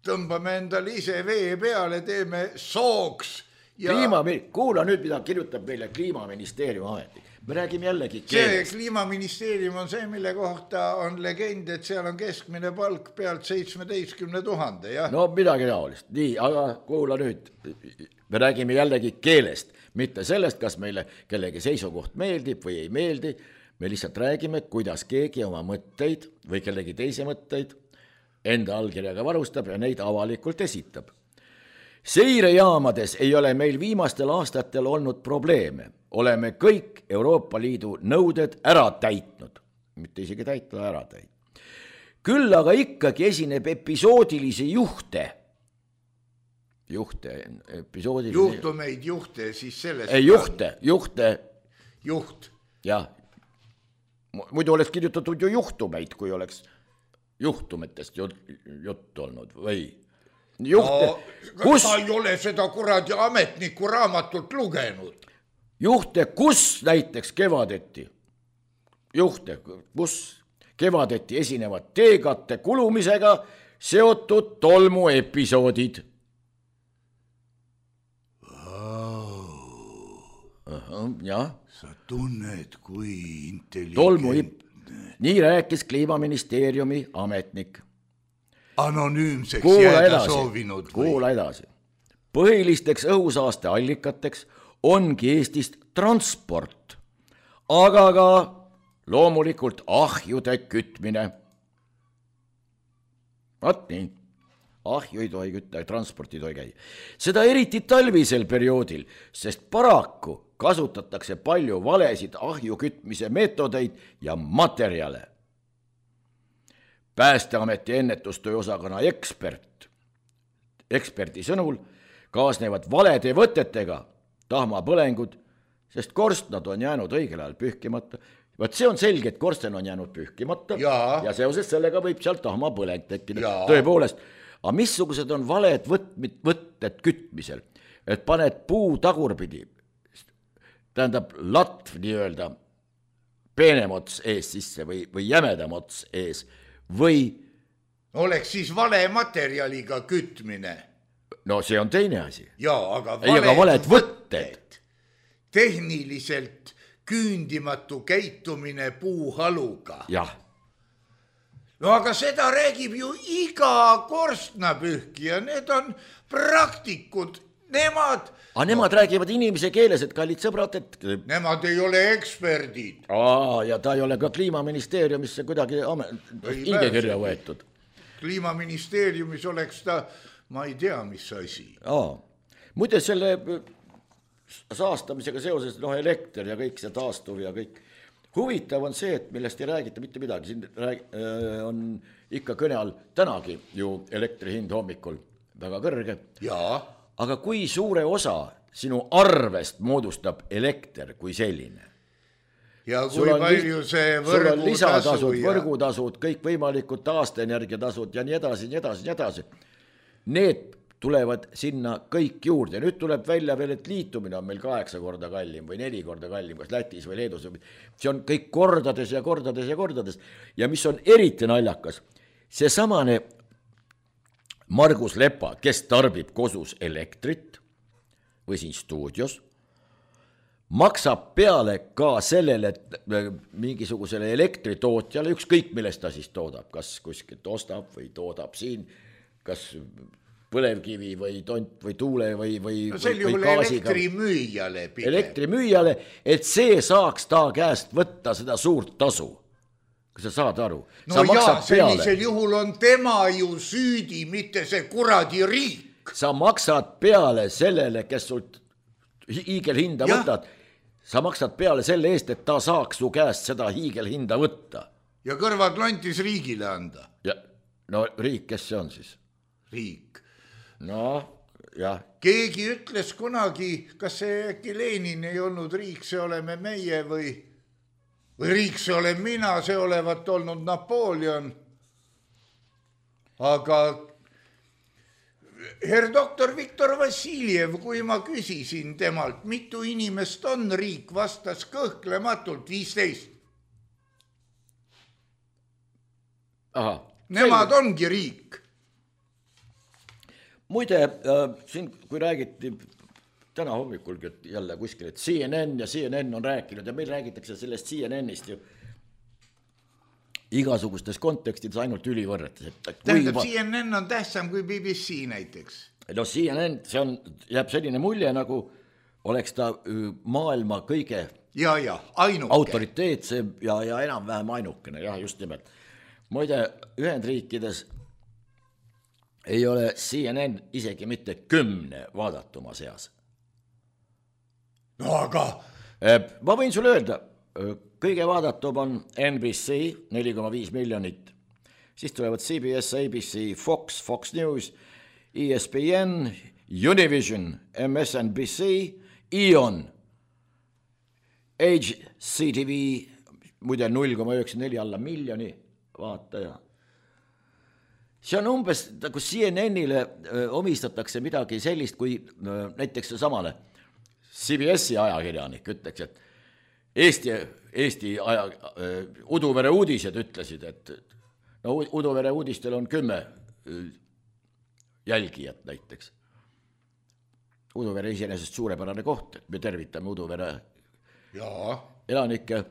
Tõmbame endale ise vee peale, teeme sooks. Ja... Kliima, kuula nüüd, mida kirjutab meile Kliimaministeeriumi ametnik. Me räägime jällegi keelest. See Kliimaministeerium on see, mille kohta on legend, et seal on keskmine palk pealt seitsmeteistkümne tuhande. Ja? No midagi taolist. Nii, aga kuula nüüd. Me räägime jällegi keelest. Mitte sellest, kas meile kellegi seisukoht meeldib või ei meeldi. Me lihtsalt räägime, kuidas keegi oma mõtteid või kellegi teise mõtteid enda allkirjaga varustab ja neid avalikult esitab. Seirejaamades ei ole meil viimastel aastatel olnud probleeme. Oleme kõik Euroopa Liidu nõuded ära täitnud. Mitte isegi täita, ära täitnud. Küll aga ikkagi esineb episoodilisi juhte. Juhte, episoodilisi... Juhtumeid, juhte, siis sellest... Ei, juhte, juhte... Juht. Jah. Muidu oleks kirjutatud ju juhtumeid, kui oleks juhtumetest jutt olnud, või... Juhte, no, kus... Ta ei ole seda kuradi ametniku raamatut lugenud. Juhte, kus näiteks kevadeti, juhte, kus kevadeti esinevad teekatte kulumisega seotud tolmu episoodid. Aha, jah. Sa tunned, kui intelligentne. Tolmu, nii rääkis Kliimaministeeriumi ametnik. Anonüümseks kuula jääda edasi, soovinud. Või? Kuula edasi. Põhilisteks õhusaaste allikateks ongi Eestist transport, aga ka loomulikult ahjude kütmine. Vaat nii, ahju ei tohi kütta, transporti ei tohi käia. Seda eriti talvisel perioodil, sest paraku kasutatakse palju valesid ahju kütmise meetodeid ja materjale. Päästeameti ennetustöö osakonna ekspert, eksperti sõnul kaasnevad valede võtetega tahmapõlengud, sest korstnad on jäänud õigel ajal pühkimata. Vaat see on selge, et korsten on jäänud pühkimata ja, ja seoses sellega võib sealt tahmapõleng tekkida. Tõepoolest, aga missugused on valed võtmid, võtted kütmisel, et paned puu tagurpidi, tähendab latv nii-öelda peenem ots ees sisse või, või jämedam ots ees või... Oleks siis vale materjaliga kütmine. No see on teine asi. Jaa, aga valed, Ei, valed võtted. Tehniliselt küündimatu käitumine puuhaluga. Jah. no aga seda räägib ju iga korstnapühkija, need on praktikud, nemad... aga nemad no, räägivad inimese keeles, et kallid sõbrad, et... Nemad ei ole eksperdid. Aa, ja ta ei ole ka kliimaministeeriumisse kuidagi hingekirja võetud. Kliimaministeeriumis oleks ta, ma ei tea, mis asi. Aa, muide selle saastamisega seoses, noh, elekter ja kõik see taastuv ja kõik. Huvitav on see, et millest ei räägita mitte midagi. Siin rääg, on ikka kõne all tänagi ju elektri hind hommikul väga kõrge. Jaa. Aga kui suure osa sinu arvest moodustab elekter kui selline? Ja kui palju see võrgutasud, ja... võrgutasud, kõik võimalikud taastenergiatasud ja nii edasi, nii edasi, nii edasi. Need tulevad sinna kõik juurde. Nüüd tuleb välja veel, et liitumine on meil kaheksa korda kallim või neli korda kallim, kas Lätis või Leedus. See on kõik kordades ja kordades ja kordades. Ja mis on eriti naljakas, see samane Margus Lepa, kes tarbib kodus elektrit või siin stuudios, maksab peale ka sellele mingisugusele elektritootjale, ükskõik millest ta siis toodab, kas kuskilt ostab või toodab siin, kas põlevkivi või tont või tuule või, või, no sel juhul elektrimüüjale pigem. Elektrimüüjale, et see saaks ta käest võtta seda suurt tasu. Kas sa saad aru? No sa jaa, sellisel juhul on tema ju süüdi, mitte see kuradi riik. Sa maksad peale sellele, kes sult hiigelhinda ja. Võtad. Sa maksad peale selle eest, et ta saaks su käest seda hiigelhinda võtta. Ja kõrvad lontis riigile anda. Ja, no riik, kes see on siis? Riik. No, jah. Keegi ütles kunagi, kas see äkki Lenin ei olnud riik, see oleme meie või, või riik, see olen mina, see olevat olnud Napoleon. Aga herr doktor Viktor Vassiljev, kui ma küsisin temalt, mitu inimest on riik, vastas kõhklematult viisteist. Aha. Nemad selge. Ongi riik. Muide, äh, siin kui räägiti täna hommikulgi, et jälle kuskil, et C N N ja C N N on rääkinud ja meil räägitakse sellest C N N-ist ju igasugustes kontekstides ainult ülivõrretes. Tähendab, va... C N N on tähtsam kui B B C näiteks. No C N N, see on, jääb selline mulje, nagu oleks ta maailma kõige ja, ja, ainuke. Autoriteetse ja, ja enam-vähem ainukene, jah, just nimelt. Muide, Ühendriikides ei ole C N N isegi mitte kümne vaadatuma seas. No aga... Ma võin sulle öelda, kõige vaadatum on N B C, neli koma viis miljonit. Siis tulevad C B S, A B C, Fox, Fox News, E S P N, Univision, M S N B C, E O N, H C T V, muide null koma üheksakümmend neli alla miljoni vaataja. See on umbes, kui C N N-ile omistatakse midagi sellist, kui näiteks samale C B S-i ajakirjanik ütleks, et Eesti, Eesti aja, Uduvere uudised ütlesid, et no Uduvere uudistel on kümme jälgijat näiteks. Uduvere iseenesest suurepärane koht, me tervitame Uduvere Jaa. elanikke.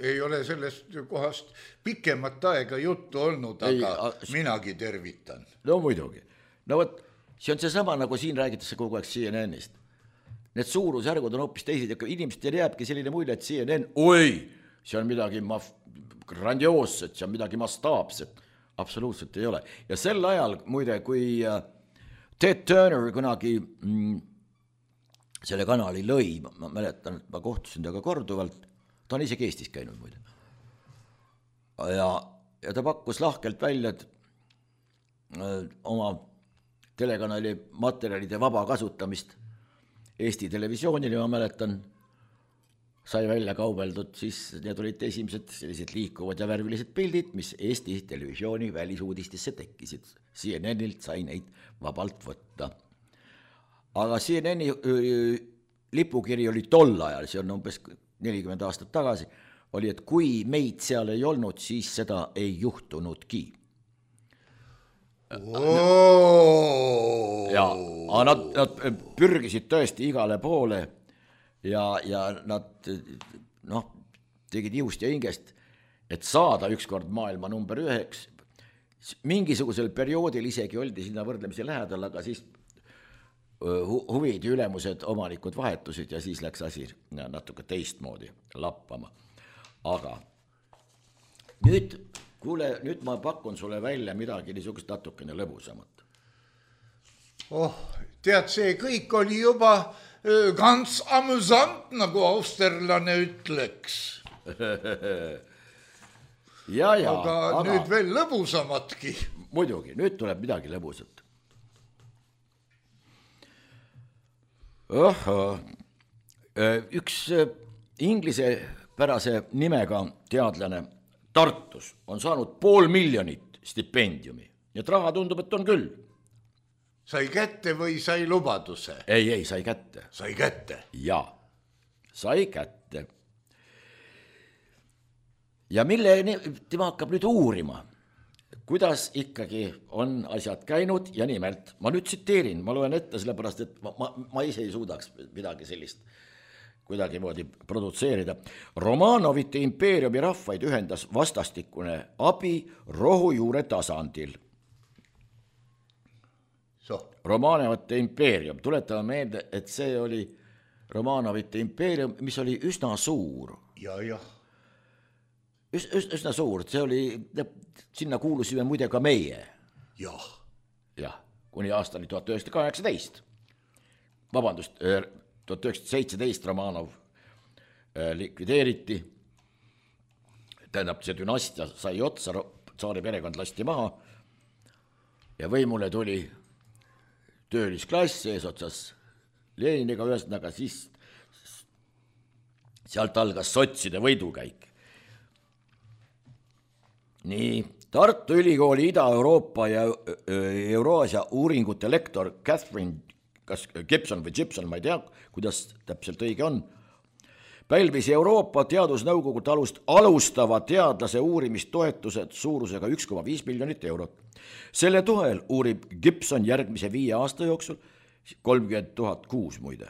Ei ole sellest kohast pikemat aega juttu olnud, aga ei, a... minagi tervitan. No muidugi. No võt, see on see sama, nagu siin räägitakse kogu aeg C N N-ist. Need suurusjärgud on hoopis teised ja inimestel jääbki selline mulje, et C N N, oi, see on midagi maf- grandioosset, see on midagi mastaapset. Absoluutselt ei ole. Ja sel ajal, muide, kui Ted Turner kunagi mm, selle kanali lõi, ma mäletan, et ma kohtusin temaga korduvalt, ta on isegi Eestis käinud muide. Ja, ja ta pakkus lahkelt välja, et öö, oma telekanali materjalide vaba kasutamist Eesti televisioonil, ma mäletan, sai välja kaubeldud, siis need olid esimesed sellised liikuvad ja värvilised pildid, mis Eesti televisiooni välisuudistesse tekkisid. C N N-ilt sai neid vabalt võtta. Aga C N N-i öö, lipukiri oli tol ajal, see on umbes nelikümmend aastat tagasi, oli, et kui meid seal ei olnud, siis seda ei juhtunudki. Oh. Ja, nad, nad pürgisid tõesti igale poole ja, ja nad noh, tegid jõust ja hingest, et saada ükskord maailma number üheks mingisugusel perioodil isegi oldi sinna võrdlemisi lähedal, aga siis hu huvid ja ülemused omanikud vahetusid ja siis läks asi natuke teistmoodi lappama. Aga nüüd, kuule, nüüd ma pakun sulle välja midagi niisugust natukene lõbusamat. Oh, tead, see kõik oli juba ganz amusant, nagu austerlane ütleks. ja, ja, aga, aga nüüd veel lõbusamatki. Muidugi, nüüd tuleb midagi lõbusat. Oho. Üks inglise pärase nimega teadlane Tartus on saanud pool miljonit stipendiumi. Ja raha tundub, et on küll. Sai kätte või sai lubaduse? Ei, ei, sai kätte. Sai kätte? Ja, sai kätte. Ja mille tema hakkab nüüd uurima, kuidas ikkagi on asjad käinud ja nimelt, ma nüüd tsiteerin, ma loen ette sellepärast, et ma, ma, ma ise ei suudaks midagi sellist kuidagi moodi produtseerida. Romanovite impeeriumi rahvaid ühendas vastastikune abi rohujuure tasandil. So. Romanovite impeerium, tuletame meelde, et see oli Romanovite impeerium, mis oli üsna suur. Ja, jah. Üs, üs, üsna suur, see oli, sinna kuulusime muide ka meie. Jah. Jah, kuni aastani tuhat üheksasada kaheksateist. Vabandust, tuhat üheksasada seitseteist Romanov likvideeriti. Tähendab, see dünastia sai otsa, tsaari perekond lasti maha ja võimule tuli töölisklass eesotsas Leniniga ühesõnaga, siis sealt algas sotside võidukäik. Nii, Tartu Ülikooli Ida-Euroopa ja Euraasia uuringute lektor Catherine kas Gibson või Gibson, ma ei tea, kuidas täpselt õige on, pälvis Euroopa teadusnõukogu alust alustava teadlase uurimistoetused suurusega üks koma viis miljonit eurot. Selle toel uurib Gibson järgmise viie aasta jooksul kolmkümmend tuhat kuus muide.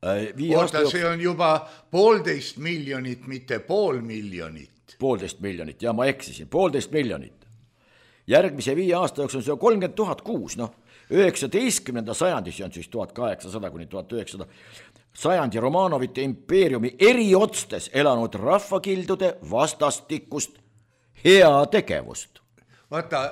Oota, see on juba poolteist miljonit, mitte pool miljonit. Poolteist miljonit, ja ma eksisin, poolteist miljonit. Järgmise viie aasta jooksul see on kolmkümmend tuhat kuus, noh, üheksateistkümnenda sajandi, see on siis tuhat kaheksasada kuni tuhat üheksasada sajandi Romanovite impeeriumi eriotstes elanud rahvakildude vastastikust heategevust. Vaata,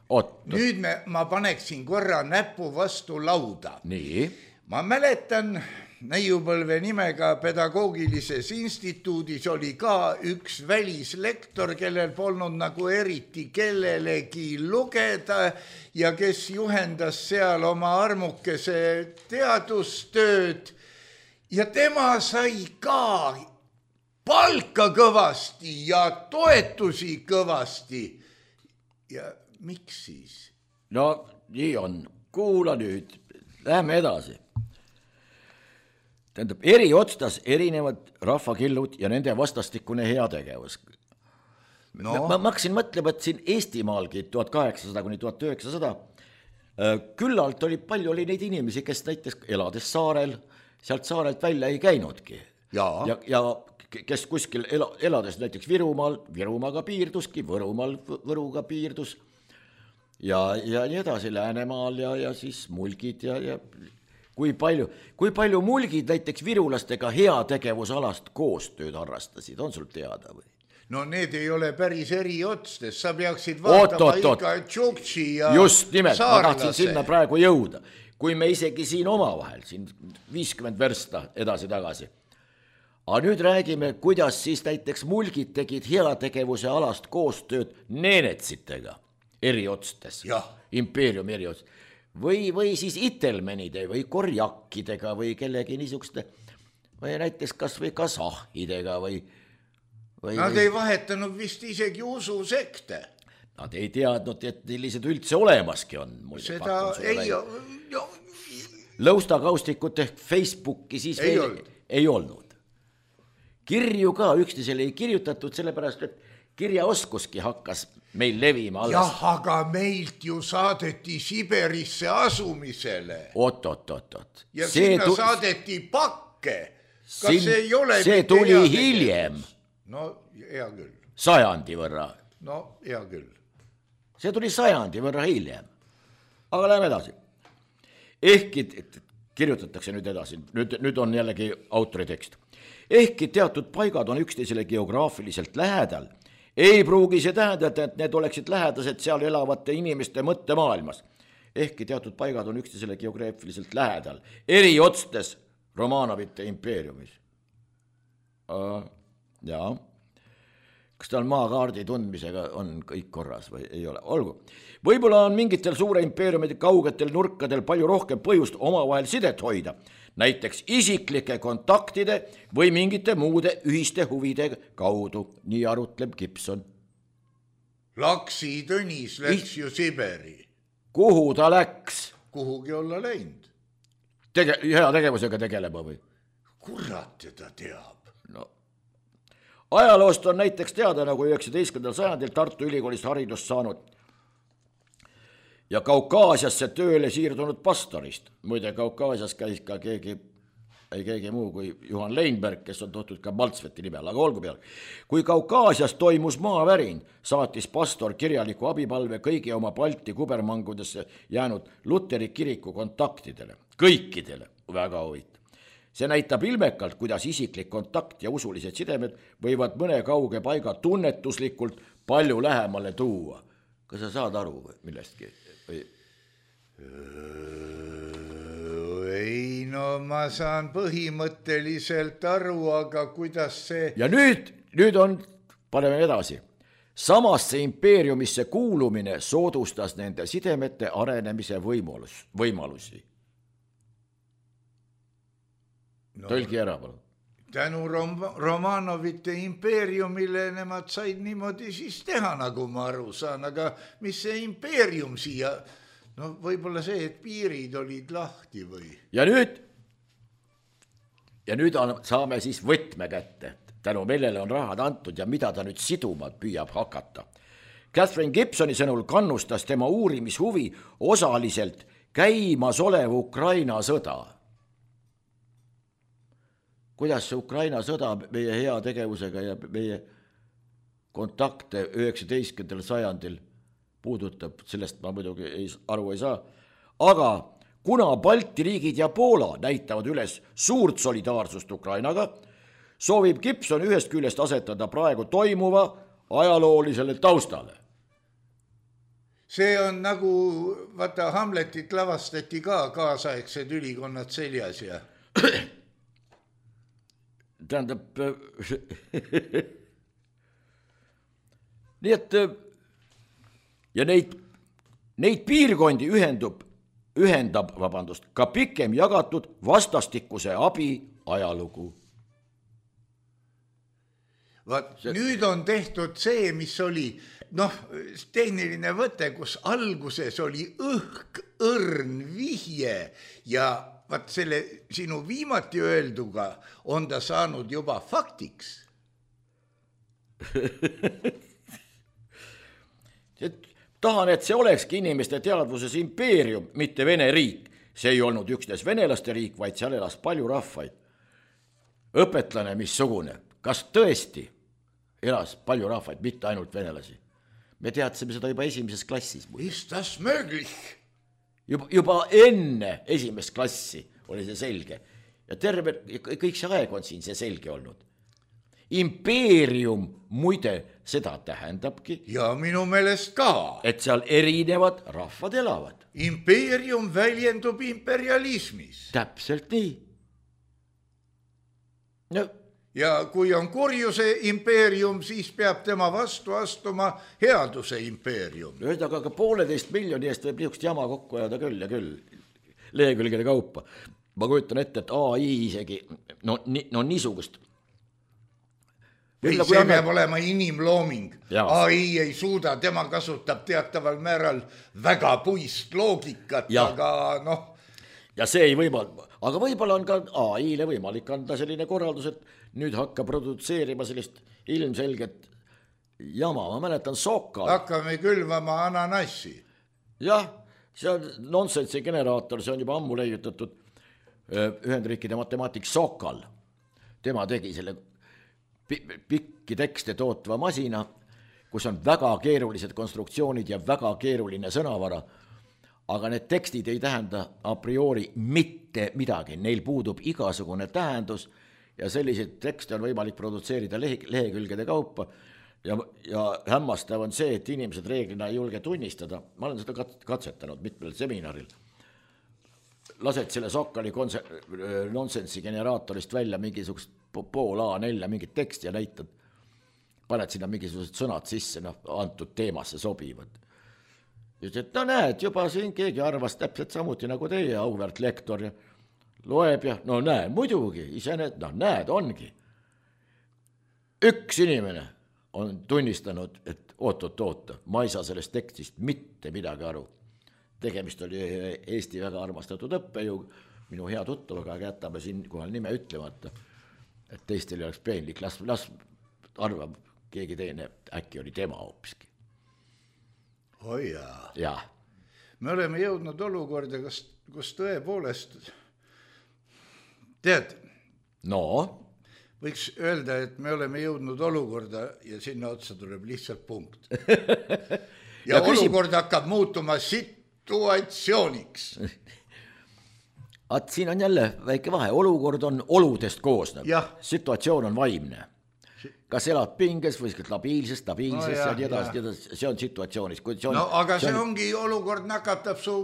Oot. nüüd me, ma paneksin korra näpu vastu lauda. Nii. Ma mäletan, Neiupõlve nimega pedagoogilises instituudis oli ka üks välislektor, kellel polnud nagu eriti kellelegi lugeda ja kes juhendas seal oma armukese teadustööd ja tema sai ka palka kõvasti ja toetusi kõvasti. Ja miks siis? No nii on, kuula nüüd, lähme edasi. Tähendab, eri otstas erinevad rahvakillud ja nende vastastikune heategevus. No. Ma, ma hakkasin mõtlema, et siin Eestimaalgi tuhat kaheksasada kuni tuhat üheksasada küllalt oli palju oli neid inimesi, kes näiteks elades saarel, sealt saarelt välja ei käinudki. Ja, ja, ja kes kuskil ela, elades näiteks Virumaal, Virumaaga piirduski, Võrumaal Võruga piirdus ja, ja nii edasi Läänemaal ja, ja siis mulgid ja, ja kui palju, kui palju mulgid näiteks virulastega heategevusalast koostööd harrastasid, on sul teada või? No need ei ole päris eri otstes, sa peaksid vaatama oot, oot, ikka tšuktši ja just nimelt, saarlase. Ma tahtsin sinna praegu jõuda, kui me isegi siin omavahel, siin viiskümmend versta edasi-tagasi. Aga nüüd räägime, kuidas siis näiteks mulgid tegid heategevuse alast koostööd neenetsitega eri otstes, impeeriumi eri otstes. Või, või siis itelmenide või korjakkidega või kellegi niisuguste, või näiteks kas või kasahidega või, või... Nad ei vahetanud vist isegi ususekte. Nad ei teadnud, et sellised üldse olemaski on. Seda ei... No... Lõustakaustikut ehk Facebooki siis ei, veel... olnud. ei olnud. Kirju ka üksteisele ei kirjutatud, sellepärast, et kirjaoskuski hakkas meil levima alles. Jah, aga meilt ju saadeti Siberisse asumisele. Oot, oot, oot, oot. Ja see sinna tu... saadeti pakke. Kas Siin, see ei ole... See tuli hiljem. No, hea küll. Sajandi võrra. No, hea küll. see tuli sajandi võrra hiljem. Aga läheme edasi. Ehkki, kirjutatakse nüüd edasi, nüüd, nüüd on jällegi autori tekst. Ehkki teatud paigad on üksteisele geograafiliselt lähedal, ei pruugi see tähendada, et need oleksid lähedased seal elavate inimeste mõttemaailmas. Ehkki teatud paigad on üksteisele geograafiliselt lähedal, eri otstes Romanovite impeeriumis. Jaa. Kas tal maakaardi tundmisega on kõik korras või ei ole? Olgu. Võib-olla on mingitel suure impeeriumide kaugetel nurkadel palju rohkem põhjust omavahel sidet hoida, näiteks isiklike kontaktide või mingite muude ühiste huvide kaudu, nii arutleb Gibson. Laksi Tõnis läks I... ju Siberi. Kuhu ta läks? Kuhugi olla läinud. Tege... Hea tegevusega tegelema või? Kurat teda teab. No. Ajaloost on näiteks teada, nagu üheksateistkümnendal sajandil Tartu Ülikoolist haridust saanud ja Kaukaasiasse tööle siirdunud pastorist. Muide, Kaukaasias käis ka keegi, ei keegi muu kui Juhan Leinberg, kes on tohtud ka Maltsveti nimel, aga olgu peal. Kui Kaukaasias toimus maavärin, saatis pastor kirjaliku abipalve kõigi oma Balti kubermangudesse jäänud Luteri kiriku kontaktidele. Kõikidele, väga huvitav. See näitab ilmekalt, kuidas isiklik kontakt ja usulised sidemed võivad mõne kauge paiga tunnetuslikult palju lähemale tuua. Kas sa saad aru millestki? Või... Ei, no ma saan põhimõtteliselt aru, aga kuidas see... Ja nüüd, nüüd on, paneme edasi. Samasse impeeriumisse kuulumine soodustas nende sidemete arenemise võimalus, võimalusi. No, tõlgi ära, palun. Tänu Rom- Romanovite impeeriumile nemad said niimoodi siis teha, nagu ma aru saan, aga mis see impeerium siia, no võib-olla see, et piirid olid lahti või? Ja nüüd, ja nüüd on, saame siis võtme kätte, tänu millele on rahad antud ja mida ta nüüd siduma püüab hakata. Catherine Gibsoni sõnul kannustas tema uurimishuvi osaliselt käimas olev Ukraina sõda. Kuidas see Ukraina sõda meie hea tegevusega ja meie kontakte üheksateistkümnendal sajandil puudutab, sellest ma muidugi ei, aru ei saa. Aga kuna Balti riigid ja Poola näitavad üles suurt solidaarsust Ukrainaga, soovib Gibson ühest küljest asetada praegu toimuva ajaloolisele taustale. See on nagu, vaata, Hamletit lavastati ka kaasaegsed ülikonnad seljas ja... Tähendab, nii et ja neid, neid piirkondi ühendub, ühendab, vabandust, ka pikem jagatud vastastikuse abi ajalugu. Vaat, see... nüüd on tehtud see, mis oli, noh, tehniline võte, kus alguses oli õhk, õrn, vihje ja vaat selle sinu viimati öelduga on ta saanud juba faktiks. Tahan, et see olekski inimeste teadvuses impeerium, mitte Vene riik. See ei olnud üksnes venelaste riik, vaid seal elas palju rahvaid. Õpetlane missugune, kas tõesti elas palju rahvaid, mitte ainult venelasi? Me teadsime seda juba esimeses klassis. Ist das möglich? Juba, juba enne esimest klassi oli see selge. Ja terve, kõik see aeg on siin see selge olnud. Impeerium muide seda tähendabki. Ja minu meelest ka. Et seal erinevad rahvad elavad. Impeerium väljendub imperialismis. Täpselt nii. No. Ja kui on kurjuse impeerium, siis peab tema vastu astuma headuse impeerium. Ühesõnaga, aga pooleteist miljoni eest võib niisugust jama kokku ajada küll ja küll, lehekülgede kaupa. Ma kujutan ette, et A I isegi, no, ni, no niisugust. Ei, see peab annab... olema inimlooming. Ja. A I ei suuda, tema kasutab teataval määral väga puist loogikat, ja. Aga noh. Ja see ei võimal... Aga võib-olla on ka A I-le võimalik anda selline korraldus, et nüüd hakka produtseerima sellist ilmselget jama. Ma mäletan Sokal. Hakkame külvama ananassi. Jah, see on nonsensi generaator, see on juba ammu leiutatud Ühendriikide matemaatik Sokal. Tema tegi selle pikki tekste tootva masina, kus on väga keerulised konstruktsioonid ja väga keeruline sõnavara, aga need tekstid ei tähenda a priori mitte midagi, neil puudub igasugune tähendus ja selliseid tekste on võimalik produtseerida lehe, lehekülgede kaupa ja, ja hämmastav on see, et inimesed reeglina ei julge tunnistada, ma olen seda katsetanud mitmel seminaril, lased selle Sokkali konse- nonsensi generaatorist välja mingisugust pool A nelja mingit teksti ja näitad, paned sinna mingisugused sõnad sisse, noh, antud teemasse sobivad. Ja ütles, et no näed, juba siin keegi arvas täpselt samuti nagu teie, auväärt lektor, ja loeb ja no näe, muidugi, ise need, no näed, ongi. Üks inimene on tunnistanud, et oot-oot-oota, ma ei saa sellest tekstist mitte midagi aru. Tegemist oli Eesti väga armastatud õppejõu, minu hea tuttavaga, aga jätame siin kohal nime ütlemata, et teistel ei oleks peenlik, las, las arvab keegi teine, äkki oli tema hoopiski. Oi jaa. Ja. Me oleme jõudnud olukorda, kus, kus tõepoolest, tead, no, võiks öelda, et me oleme jõudnud olukorda ja sinna otsa tuleb lihtsalt punkt. Ja, ja olukord küsim... hakkab muutuma situatsiooniks. At siin on jälle väike vahe, olukord on oludest koosnev, ja. Situatsioon on vaimne. Kas elad pinges või labiilses, stabiilses no ja, ja nii edasi, edasi, see on situatsioonis. Kui see on, no aga see, see on... ongi olukord nakatab su,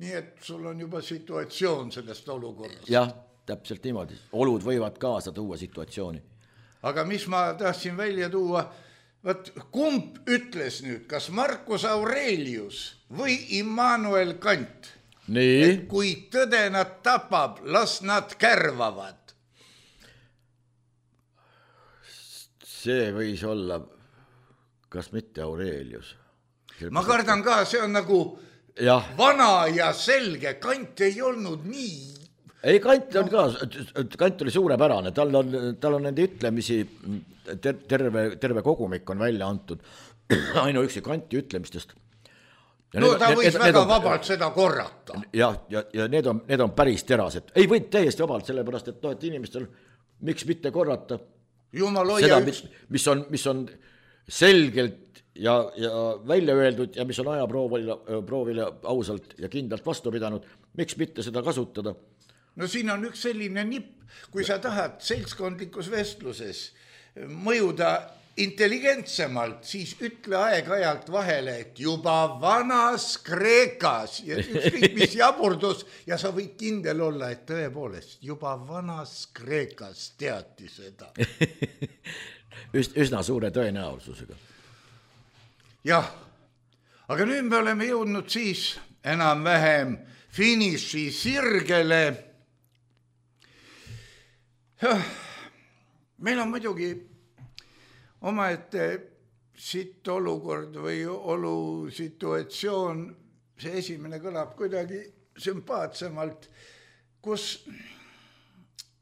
nii et sul on juba situatsioon sellest olukorrast. Jah, täpselt niimoodi. Olud võivad kaasa tuua situatsiooni. Aga mis ma tahtsin välja tuua, võt, kumb ütles nüüd, kas Marcus Aurelius või Immanuel Kant, nii? Et kui tõde nad tapab, las nad kärvavad. See võis olla, kas mitte Aurelius. Ma kardan ka, see on nagu ja. Vana ja selge, Kant ei olnud nii. Ei, Kant on ka, Kant oli suurepärane, tal on, tal on nende ütlemisi, ter, terve, terve kogumik on välja antud, ainuüksi Kanti ütlemistest. Ja no need, ta võis need, väga need on, vabalt seda korrata. Ja, ja, ja need, on, need on päris terased. Ei võid täiesti vabalt, sellepärast, et, no, et inimestel miks mitte korrata seda, mis, mis, on, mis on selgelt ja, ja välja öeldud ja mis on ajaproovile, proovile ausalt ja kindlalt vastu pidanud, miks mitte seda kasutada? No siin on üks selline nipp, kui sa tahad seltskondlikus vestluses mõjuda intelligentsemalt, siis ütle aeg-ajalt vahele, et juba vanas Kreekas ja ükskõik mis jaburdus ja sa võid kindel olla, et tõepoolest juba vanas Kreekas teati seda. Üs, üsna suure tõenäosusega. Jah, aga nüüd me oleme jõudnud siis enam-vähem finiši sirgele. Meil on muidugi omaette sitt olukord või olu situatsioon, see esimene kõlab kuidagi sümpaatsemalt, kus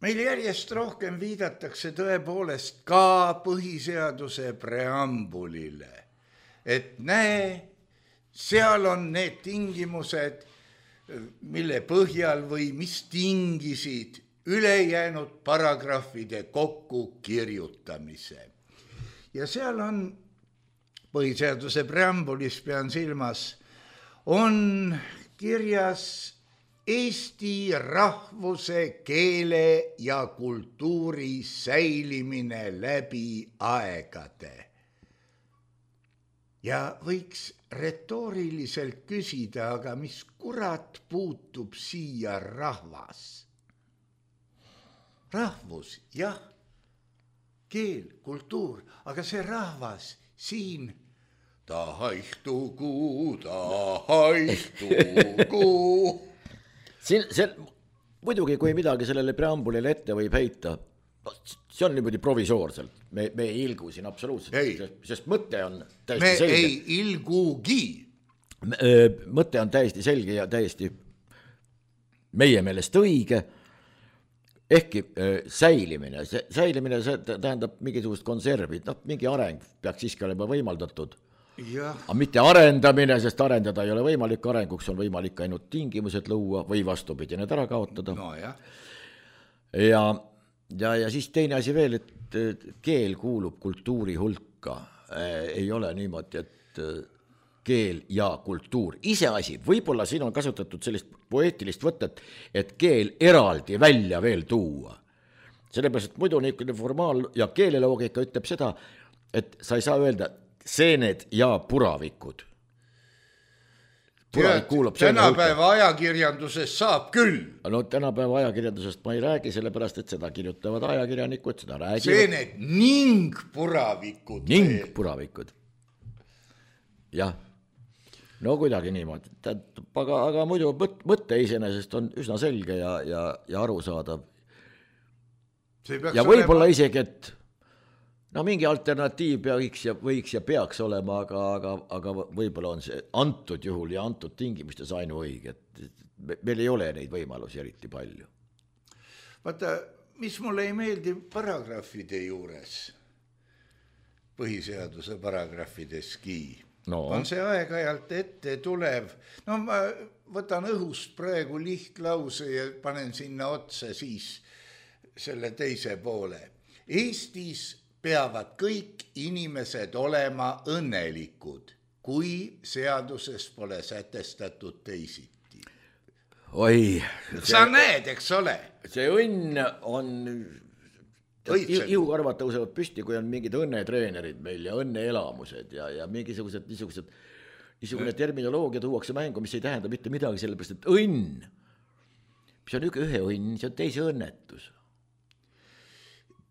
meil järjest rohkem viidatakse tõepoolest ka põhiseaduse preambulile, et näe, seal on need tingimused, mille põhjal või mis tingisid ülejäänud paragrahvide kokku kirjutamise. Ja seal on põhiseaduse preambulis, pean silmas, on kirjas Eesti rahvuse, keele ja kultuuri säilimine läbi aegade. Ja võiks retooriliselt küsida, aga mis kurat puutub siia rahvas? Rahvus, jah. Keel, kultuur, aga see rahvas siin, ta haihtugu, ta haihtugu. Siin, see, muidugi, kui midagi sellele preambulile ette võib heita, see on niimoodi provisoorselt, me, me ei ilgu siin absoluutselt, sest, sest mõte on täiesti me selge. Me ei ilgugi. Mõte on täiesti selge ja täiesti meie meelest õige. Ehkki äh, säilimine, see, säilimine see tähendab mingisugust konservi, no, mingi areng peaks siiski olema võimaldatud. Ja. Aga mitte arendamine, sest arendada ei ole võimalik, arenguks on võimalik ainult tingimused luua või vastupidi need ära kaotada. No, ja. Ja, ja, ja siis teine asi veel, et keel kuulub kultuuri hulka. ei ole niimoodi, et keel ja kultuur, iseasi, võib-olla siin on kasutatud sellist poeetilist võtet, et keel eraldi välja veel tuua. Sellepärast, et muidu niisugune formaal- ja keeleloogika ütleb seda, et sa ei saa öelda seened ja puravikud. Puravik kuulub tänapäeva ajakirjanduses saab küll. No tänapäeva ajakirjandusest ma ei räägi, sellepärast, et seda kirjutavad ajakirjanikud, seda räägivad. Seened ning puravikud. Ning puravikud. Jah. No kuidagi niimoodi, aga, aga muidu mõtte iseenesest on üsna selge ja, ja, ja arusaadav. Ja võib-olla olema... isegi, et no mingi alternatiiv võiks ja, võiks ja peaks olema, aga, aga, aga võib-olla on see antud juhul ja antud tingimustes ainu õige, et meil ei ole neid võimalusi eriti palju. Vaata, mis mulle ei meeldi paragrahvide juures, põhiseaduse paragrahvideski, no. On see aeg-ajalt ette tulev. No ma võtan õhust praegu lihtlause ja panen sinna otsa siis selle teise poole. Eestis peavad kõik inimesed olema õnnelikud, kui seaduses pole sätestatud teisiti. Oi. Sa see, näed, eks ole? See õnn on... Ihukarvad tõusevad püsti, kui on mingid õnnetreenerid meil ja õnneelamused ja, ja mingisugused niisugused, niisugune terminoloogia tuuakse mängu, mis ei tähenda mitte midagi, sellepärast, et õnn, mis on üks ühe õnn, see on teise õnnetus.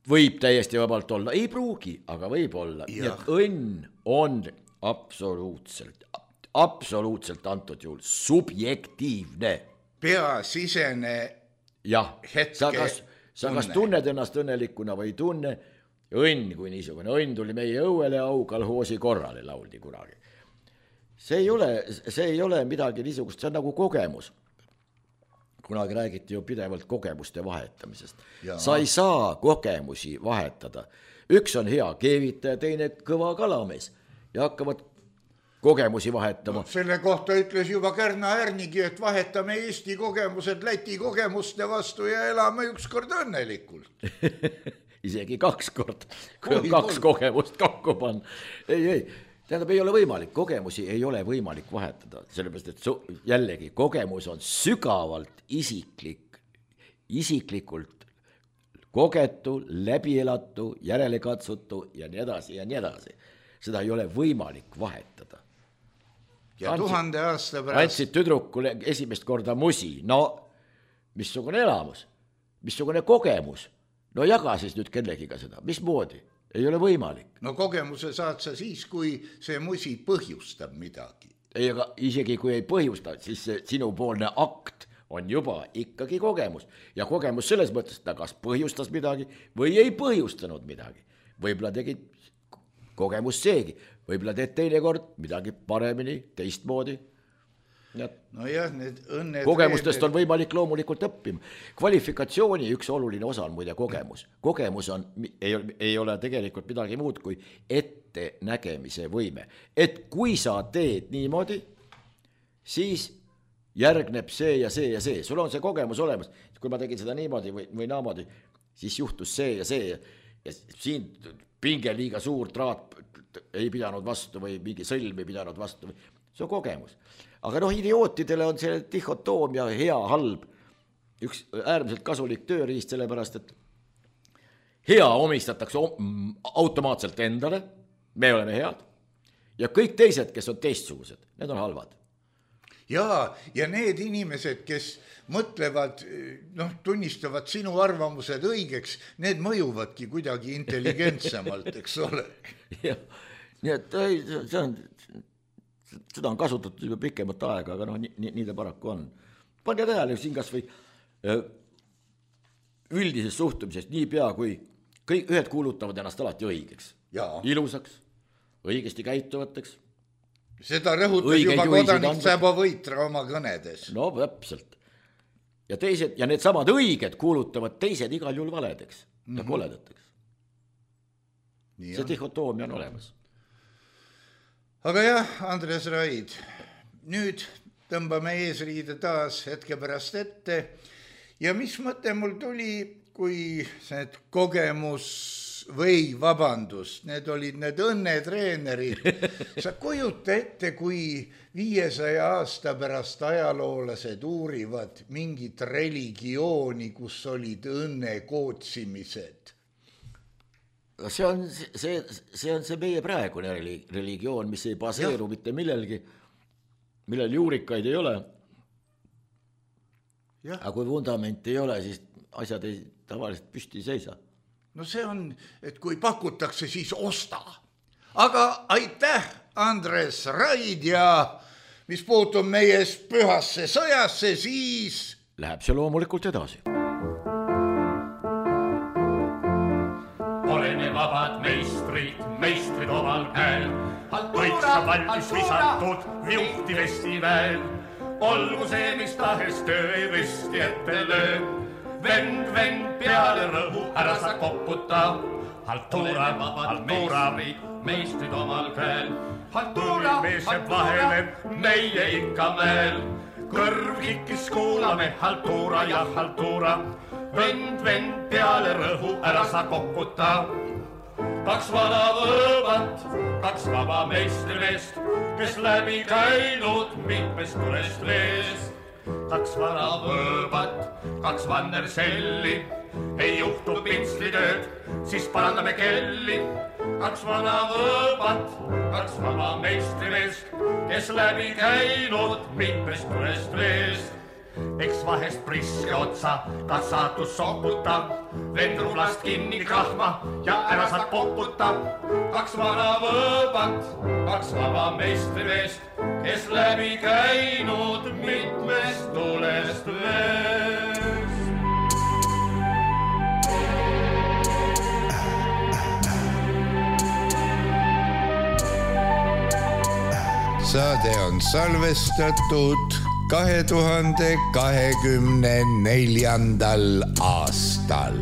Võib täiesti vabalt olla, ei pruugi, aga võib olla. Nii et õnn on absoluutselt, absoluutselt antud juhul subjektiivne. Peasisene jah, hetke sa kas, sa kas tunned ennast õnnelikuna või ei tunne, õnn kui niisugune, õnn tuli meie õuele aukalhoosi korrale lauldi kunagi. See ei ole, see ei ole midagi niisugust, see on nagu kogemus. Kunagi räägiti ju pidevalt kogemuste vahetamisest. Ja. Sa ei saa kogemusi vahetada. Üks on hea keevitaja, teine kõva kalamees ja hakkavad kogemusi vahetama. No, selle kohta ütles juba Kärna Ärnigi, et vahetame Eesti kogemused Läti kogemuste vastu ja elame ükskord õnnelikult. Isegi kaks kord, kui on kaks kogemust kokku panna. Ei, ei, tähendab, ei ole võimalik, kogemusi ei ole võimalik vahetada, sellepärast, et su, jällegi kogemus on sügavalt isiklik, isiklikult kogetu, läbielatu, järelekatsutu ja nii edasi ja nii edasi. Seda ei ole võimalik vahetada. Ja andsid, tuhande aasta pärast... Andsid tüdrukule esimest korda musi, no missugune elamus, missugune kogemus, no jaga siis nüüd kellegiga seda, mismoodi, ei ole võimalik. No kogemuse saad sa siis, kui see musi põhjustab midagi. Ei, aga isegi kui ei põhjusta, siis see sinupoolne akt on juba ikkagi kogemus. Ja kogemus selles mõttes, et ta kas põhjustas midagi või ei põhjustanud midagi. Võib-olla tegid kogemus seegi, võib-olla teed teine kord midagi paremini, teistmoodi. No jah, need õnne... Kogemustest on võimalik loomulikult õppima. Kvalifikatsiooni üks oluline osa on muide kogemus. Kogemus on, ei, ei ole tegelikult midagi muud kui ette nägemise võime. Et kui sa teed niimoodi, siis järgneb see ja see ja see. Sul on see kogemus olemas. Kui ma tegin seda niimoodi või, või naamoodi, siis juhtus see ja see ja siin pinge liiga suur traat ei pidanud vastu või mingi sõlm ei pidanud vastu. See on kogemus. Aga noh, idiootidele on see dihotoomia hea, halb. Üks äärmiselt kasulik tööriist, sellepärast, et hea omistatakse automaatselt endale, me oleme head, ja kõik teised, kes on teistsugused, need on halvad. Ja, ja need inimesed, kes mõtlevad, noh, tunnistavad sinu arvamused õigeks, need mõjuvadki kuidagi intelligentsemalt, eks ole. Jah, nii et see on, seda on kasutatud juba pikemat aega, aga noh, nii, nii ta paraku on. Pange tähele siin kas või üldisest suhtumisest nii pea, kui kõik ühed kuulutavad ennast alati õigeks. Ja. Ilusaks, õigesti käituvateks. Seda rõhutas õige juba kodanik Säbo Võitra oma kõnedes. No täpselt. Ja teised, ja need samad õiged kuulutavad teised igal juhul valedeks ja mm-hmm. koledateks. Nii see dihotoomia on olemas. Aga jah, Andres Raid, nüüd tõmbame eesriide taas hetke pärast ette. Ja mis mõte mul tuli, kui see kogemus või vabandust, need olid need õnnetreenerid. Sa kujuta ette, kui viiesaja aasta pärast ajaloolased uurivad mingit religiooni, kus olid õnnekootsimised. See on see, see on see meie praegune religioon, mis ei baseeru ja. mitte millelgi, millel juurikaid ei ole. Ja. Aga kui vundament ei ole, siis asjad ei tavaliselt püsti ei seisa. No see on, et kui pakutakse, siis osta. Aga aitäh, Andres Raid, ja mis puutub meie pühasse sõjasse, siis läheb see loomulikult edasi. Oleme vabad meistrid, meistrid omal käel, võiksa valmis visatud juhti vestiväel. Olgu see, mis tahes töö ei risti ette löö. Vend, vend peale rõhu, ära sa koputa. Haltuura, haltuura, meistrid omal käel. Haltuuri mees jääb vahele, meie ikka mäel. Kõrv kikkis kuulame, haltuura ja haltuura. Vend, vend peale rõhu, ära sa koputa. Kaks vana võõbat, kaks vaba meistrimeest, kes läbi käinud mitmest tulest veest. Kaks vana võõbat, kaks vannerselli, ei juhtu pintslitööd, siis parandame kelli. Kaks vana võõbat, kaks vaba meistrimeest, kes läbi käinud mitmest tulest veest. Eks vahest priske otsa, kas saatus soputa, vend rublast kinni krahma ja ära saad poputa. Kaks vana võõbat, kaks vaba meistrimeest, kes läbi käinud mitmest tulest veest. Saade on salvestatud kahe tuhande kahekümne neljandal aastal.